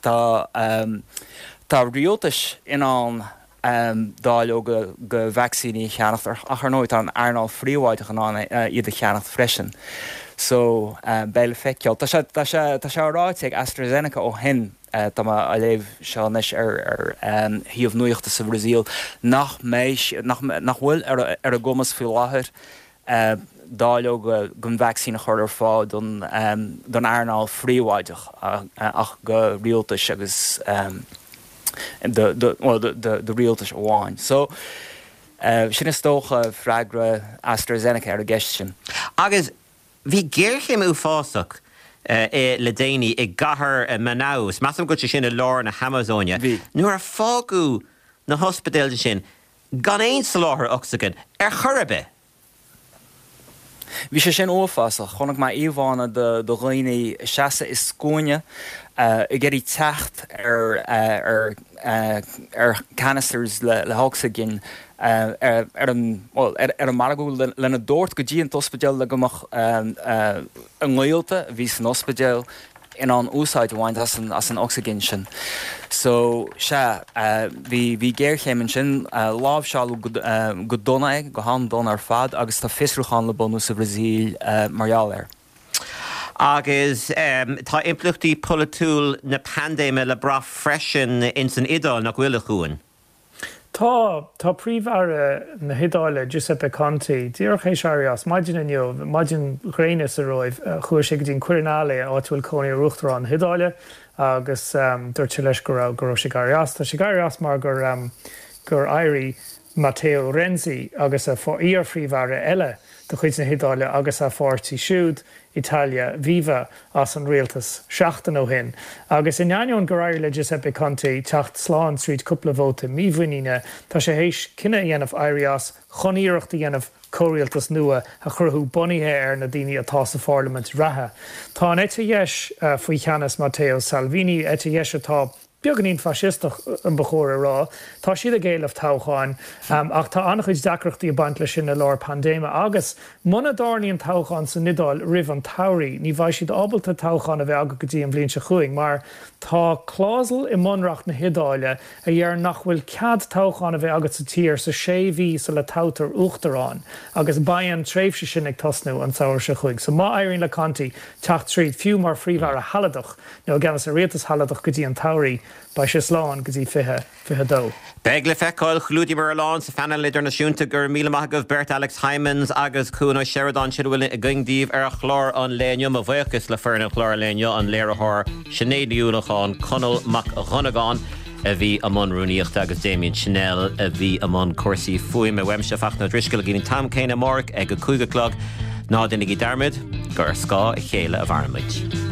Tá rialtais in ann dáileoga de vacsaíní a cheannacht ach ar ndóigh tá an earnáil phríobháideach in ann iad a cheannacht freisin. So, beidh le feiceáil. Tá sé, tá sé, tá sé ráite ag AstraZeneca ó shin, tá mé á léamh seo anois ar, ar shuíomh nuachta sa Bhrasaíl, nach mbeidh, nach, nach bhfuil ar, ar a gcumas faoi láthair dáileoga den vacsaín a chur ar fáil don, don earnáil phríobháideach ach do rialtais agus do, do, bhuel, do, do rialtais amháin. So, sin is dócha freagra AstraZeneca ar an gceist sin. Agus bhí géarchéim uafásach le déanaí i gcathair Manaus, measaim go bhfuil sé sin i lár na hAmazóine, nuair a fágadh na hospidéil ansin gan aon soláthar ocsaigin ar chor ar bith. Bhí sé sin uafásach. Chonaic mé íomhánna de dhaoine ag seasamh i scuaine ag iarraidh teacht ar ar ar canisters le le hocsaigin ar an bhuel ar an margadh lena dtabhairt go dtí an t-ospidéal le go mbeadh a ngaolta a bhí san ospidéal in ann úsáid a bhaint as an as an ocsaigin sin. So, sea, bhí bhí géarchéim ansin, láimhseáladh go go dona é, go han-dona ar fad agus tá fiosrúchán le bunú sa Bhrasaíl mar gheall air. Agus tá impleachtaí polaitiúil na paindéime le brath freisin ins an Iodáil, nach bhfuil, a Chuain? Tá. Tá Príomh-Aire na hIodáile, Giuseppe Conte, díreach théis éirí as maidin inniu, maidin ghréine sa Róimh. Chuaigh sé go dtí an Quirinale, áit a bhfuil cónaí ar Uachtarán na hIodáile, agus dúirt sé leis go raibh go raibh sé ag éirí as. Tá sé ag éirí as mar gur gur éirigh Matteo Renzi agus a iar-phríomh-aire eile de chuid na hIodáile agus a pháirtí siúd, Italia Viva as an rialtas seachtain ó shin. Agus in ainneoin gur éirigh le Giuseppe Conte teacht slán tríd cúpla vóta mímhuiníne, tá sé théis cinneadh a dhéanamh éirí as chun iarracht a dhéanamh comhrialtas nua a chruthú bunaithe ar na daoine atá sa pharlaimint reatha. Tá an eite dheis faoi cheannas Matteo Salvini, eite dheis atá beagáinín faisisteach, ba chóir a rá. Tá siad ag éileamh toghcháin, ach tá an-chuid deacrachtaí ag baint leis sin i lár paindéime agus muna dtarlaíonn toghchán san Iodáil roimh an tsamhraidh, ní bheidh siad ábalta toghchán a bheith acu go dtí an bhliain seo chugainn mar tá clásal i mbunreacht na hIodáile a deir nach bhfuil cead toghchán a bheith agat sa tír sa sé mhí sula toghtar uachtarán agus beidh an tréimhse sin ag tosnú an samhradh seo chugainn. So má éiríonn le Conte teacht tríd, fiú mar phríomh-aire shealadach, nó i gceannas ar rialtas shealadach go dtí an tsamhraidh, beidh sé slán go dtí 2022. Beidh le feiceáil. Chlúdaíomar a lán sa phainéal idirnáisiúnta. Go raibh míle maith agaibh beirt, Alex Hijmans agus Cuan Ó Seireadáin. Sin a bhfuil againn daoibh ar chlár an lae inniu. Mo bhuíochas le foireann an chláir lae inniu, an léiritheoir Sinéad Ní Uallacháin, Conall Mac Dhonnagáin a bhí i mbun rúnaíochta agus Damien Channel a bhí i mbun cúrsaí fuaime. Uaimse, Fachtna Ó Drisceoil, go dtí an t-am céanna amárach ag a 5 a chlog. Ná déanaigí dearmad gur ar scáth a chéile a mhaireann muid.